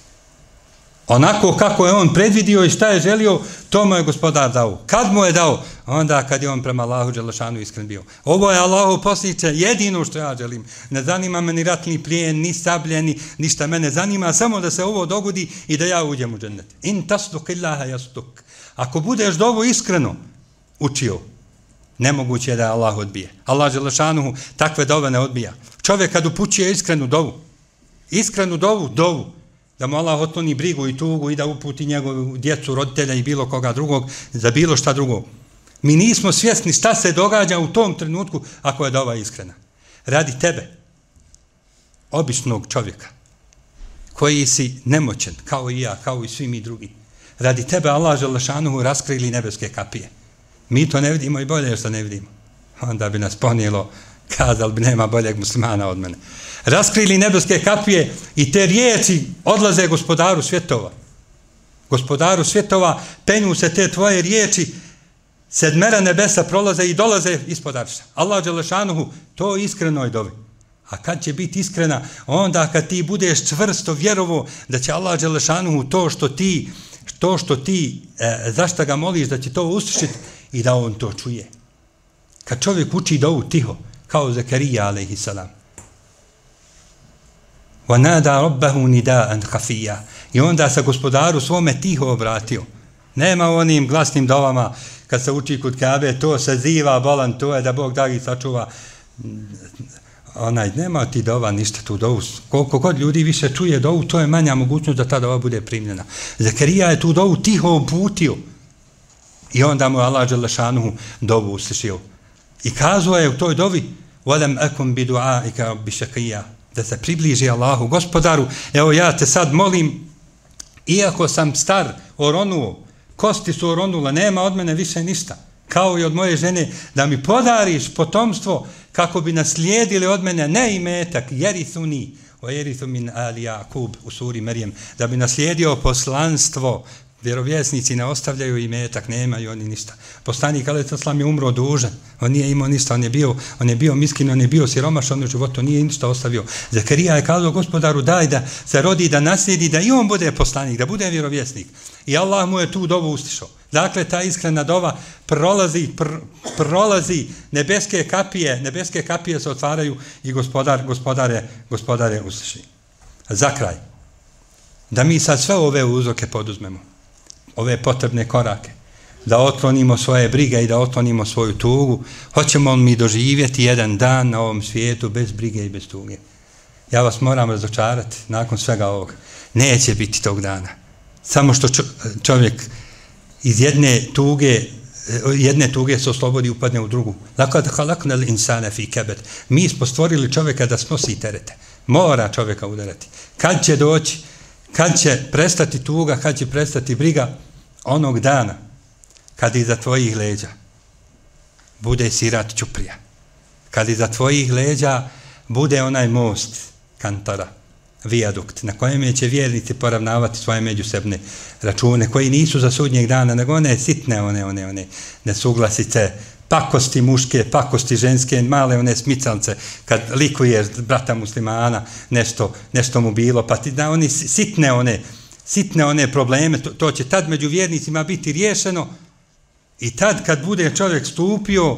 Onako kako je on predvidio i šta je želio, to mu je gospodar dao. Kad mu je dao? Onda kad je on prema Allahu dželešanu iskren bio. Ovo je Allahu poslaniče, jedino što ja želim. Ne zanima me ni ratni plijen, ni sabljeni, ništa mene zanima, samo da se ovo dogodi i da ja uđem u džennet. In tasduqillaha yasduk. Ako budeš dovu iskreno učio, nemoguće je da Allah odbije. Allah dželešanu takve dove ne odbija. Čovjek kad upućuje iskrenu dovu, iskrenu dovu, dovu, da mu Allah otkloni brigu i tugu i da uputi njegovu djecu, roditelja i bilo koga drugog, za bilo šta drugo. Mi nismo svjesni šta se događa u tom trenutku ako je dova iskrena. Radi tebe, običnog čovjeka, koji si nemoćen, kao i ja, kao i svi mi drugi. Radi tebe Allah dželešanuhu raskrili nebeske kapije. Mi to ne vidimo i bolje što ne vidimo. Onda bi nas ponijelo, kazali bi nema boljeg muslimana od mene. Raskrili nebeske kapije i te riječi odlaze gospodaru svjetova. Gospodaru svjetova penju se te tvoje riječi, sedmera nebesa prolaze i dolaze ispod arša. Allah dželešanuhu to iskreno je dovi. A kad će biti iskrena? Onda kad ti budeš čvrsto vjerovo da će Allah dželešanuhu to što ti, to što ti e, zašto ga moliš da će to uslišiti i da on to čuje. Kad čovjek uči dovu tiho, kao Zakarija alejhi salam. وَنَادَا رَبَّهُ نِدَاءً خَفِيًّا. I onda se gospodaru svome tiho obratio. Nema onim glasnim dovama kad se uči kod Kabe, to se ziva bolan, to je da Bog da ih sačuva. Onaj, nema ti dova ništa tu dovu. Koliko god ljudi više čuje dovu, to je manja mogućnost da ta dova bude primljena. Zakarija je tu dovu tiho uputio. I onda mu Allah dželešanuhu dovu uslišio. I kazao je u toj dovi وَلَمْ أَكُمْ بِدُعَائِكَ بِشَقِيًّا, da se približi Allahu, gospodaru, evo ja te sad molim, iako sam star, oronuo, kosti su oronule, nema od mene više ništa, kao i od moje žene, da mi podariš potomstvo kako bi naslijedili od mene ne imetak, jerithuni, o jerithu min ali Jakub u suri Merijem, da bi naslijedio poslanstvo. Vjerovjesnici ne ostavljaju imetak, nemaju oni ništa. Poslanik alejhi selam je umro dužan, on nije imao ništa, on je bio, on je bio miskin, on je bio siromašan, on u životu nije ništa ostavio. Zakarija je kazao gospodaru daj da se rodi, da naslijedi, da i on bude poslanik, da bude vjerovjesnik. I Allah mu je tu dovu uslišao. Dakle, ta iskrena dova prolazi, pr, prolazi nebeske kapije, nebeske kapije se otvaraju i gospodar, gospodare, gospodare usliši. Za kraj, da mi sad sve ove uzroke poduzmemo, ove potrebne korake, da otklonimo svoje brige i da otklonimo svoju tugu, hoćemo mi doživjeti jedan dan na ovom svijetu bez brige i bez tuge. Ja vas moram razočarati nakon svega ovoga. Neće biti tog dana. Samo što čovjek iz jedne tuge, jedne tuge se oslobodi i upadne u drugu. Lakad halaknal insana fi kabad. Mi smo stvorili čovjeka da snosi terete. Mora čovjeka udarati. Kad će doći? Kad će prestati tuga, kad će prestati briga? Onog dana kad iza tvojih leđa bude sirat čuprija, kad iza tvojih leđa bude onaj most kantara, vijadukt, na kojem će vjernici poravnavati svoje međusobne račune, koji nisu za sudnjeg dana, nego one sitne, one, one, one nesuglasice, pakosti muške, pakosti ženske, male one smicalce, kad likuješ brata muslimana, nešto, nešto mu bilo, pa ti da oni sitne one, sitne one probleme, to, to će tad među vjernicima biti riješeno i tad kad bude čovjek stupio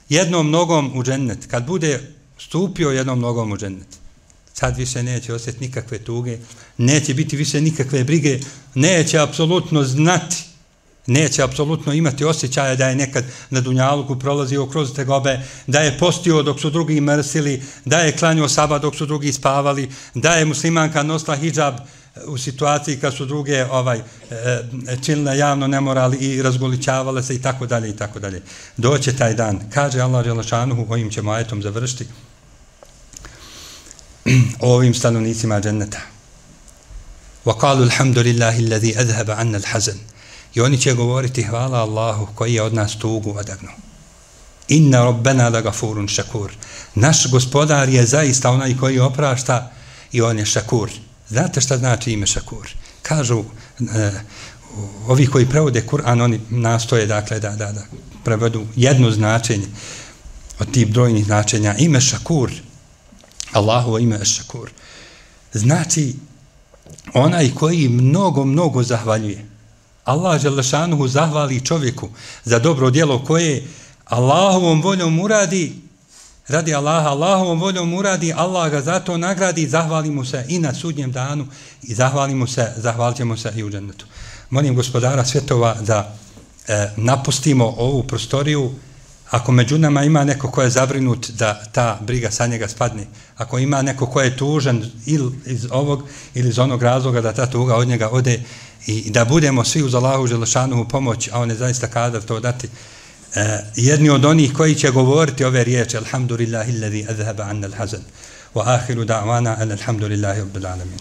jednom nogom u džennet, kad bude stupio jednom nogom u džennet, sad više neće osjetiti nikakve tuge, neće biti više nikakve brige, neće apsolutno znati, neće apsolutno imati osjećaja da je nekad na dunjaluku prolazio kroz tegobe, da je postio dok su drugi mrsili, da je klanjao sabah dok su drugi spavali, da je muslimanka nosila hidžab u situaciji kad su druge ovaj činile javno nemoral i razgoličavale se i tako dalje i tako dalje. Doće taj dan. Kaže Allah dželle šanuhu, ovim ćemo ajetom završiti, o ovim stanovnicima dženneta. وَقَالُوا الْحَمْدُ لِلَّهِ الَّذِي أَذْهَبَ عَنَّا الْحَزَنَ. I oni će govoriti hvala Allahu koji je od nas tugu odagnuo. Inna rabbana lagafurun šakur. Naš gospodar je zaista onaj koji oprašta i on je šakur. Znate šta znači ime šakur? Kažu e, ovi koji prevode Kur'an, oni nastoje dakle da, da, da prevedu jedno značenje od tih brojnih značenja. Ime šakur, Allahovo ime je šakur. Znači onaj koji mnogo, mnogo zahvaljuje. Allah dželle šanuhu zahvali čovjeku za dobro djelo koje Allahovom voljom uradi, radi Allaha, Allahovom voljom uradi, Allah ga zato nagradi, zahvali mu se i na sudnjem danu i zahvali mu se, zahvalit ćemo se i u džennetu. Molim gospodara svjetova da e, napustimo ovu prostoriju. Ako među nama ima neko ko je zabrinut da ta briga sa njega spadne, ako ima neko ko je tužan ili iz ovog ili iz onog razloga da ta tuga od njega ode, i da budemo svi uz Allahu dželle šanuhu pomoć, a on je zaista kadar to dati, e, jedni od onih koji će govoriti ove riječi alhamdulillahi allazi azhaba anna al-hazan wa akhiru da'wana alhamdulillahi rabbil alamin.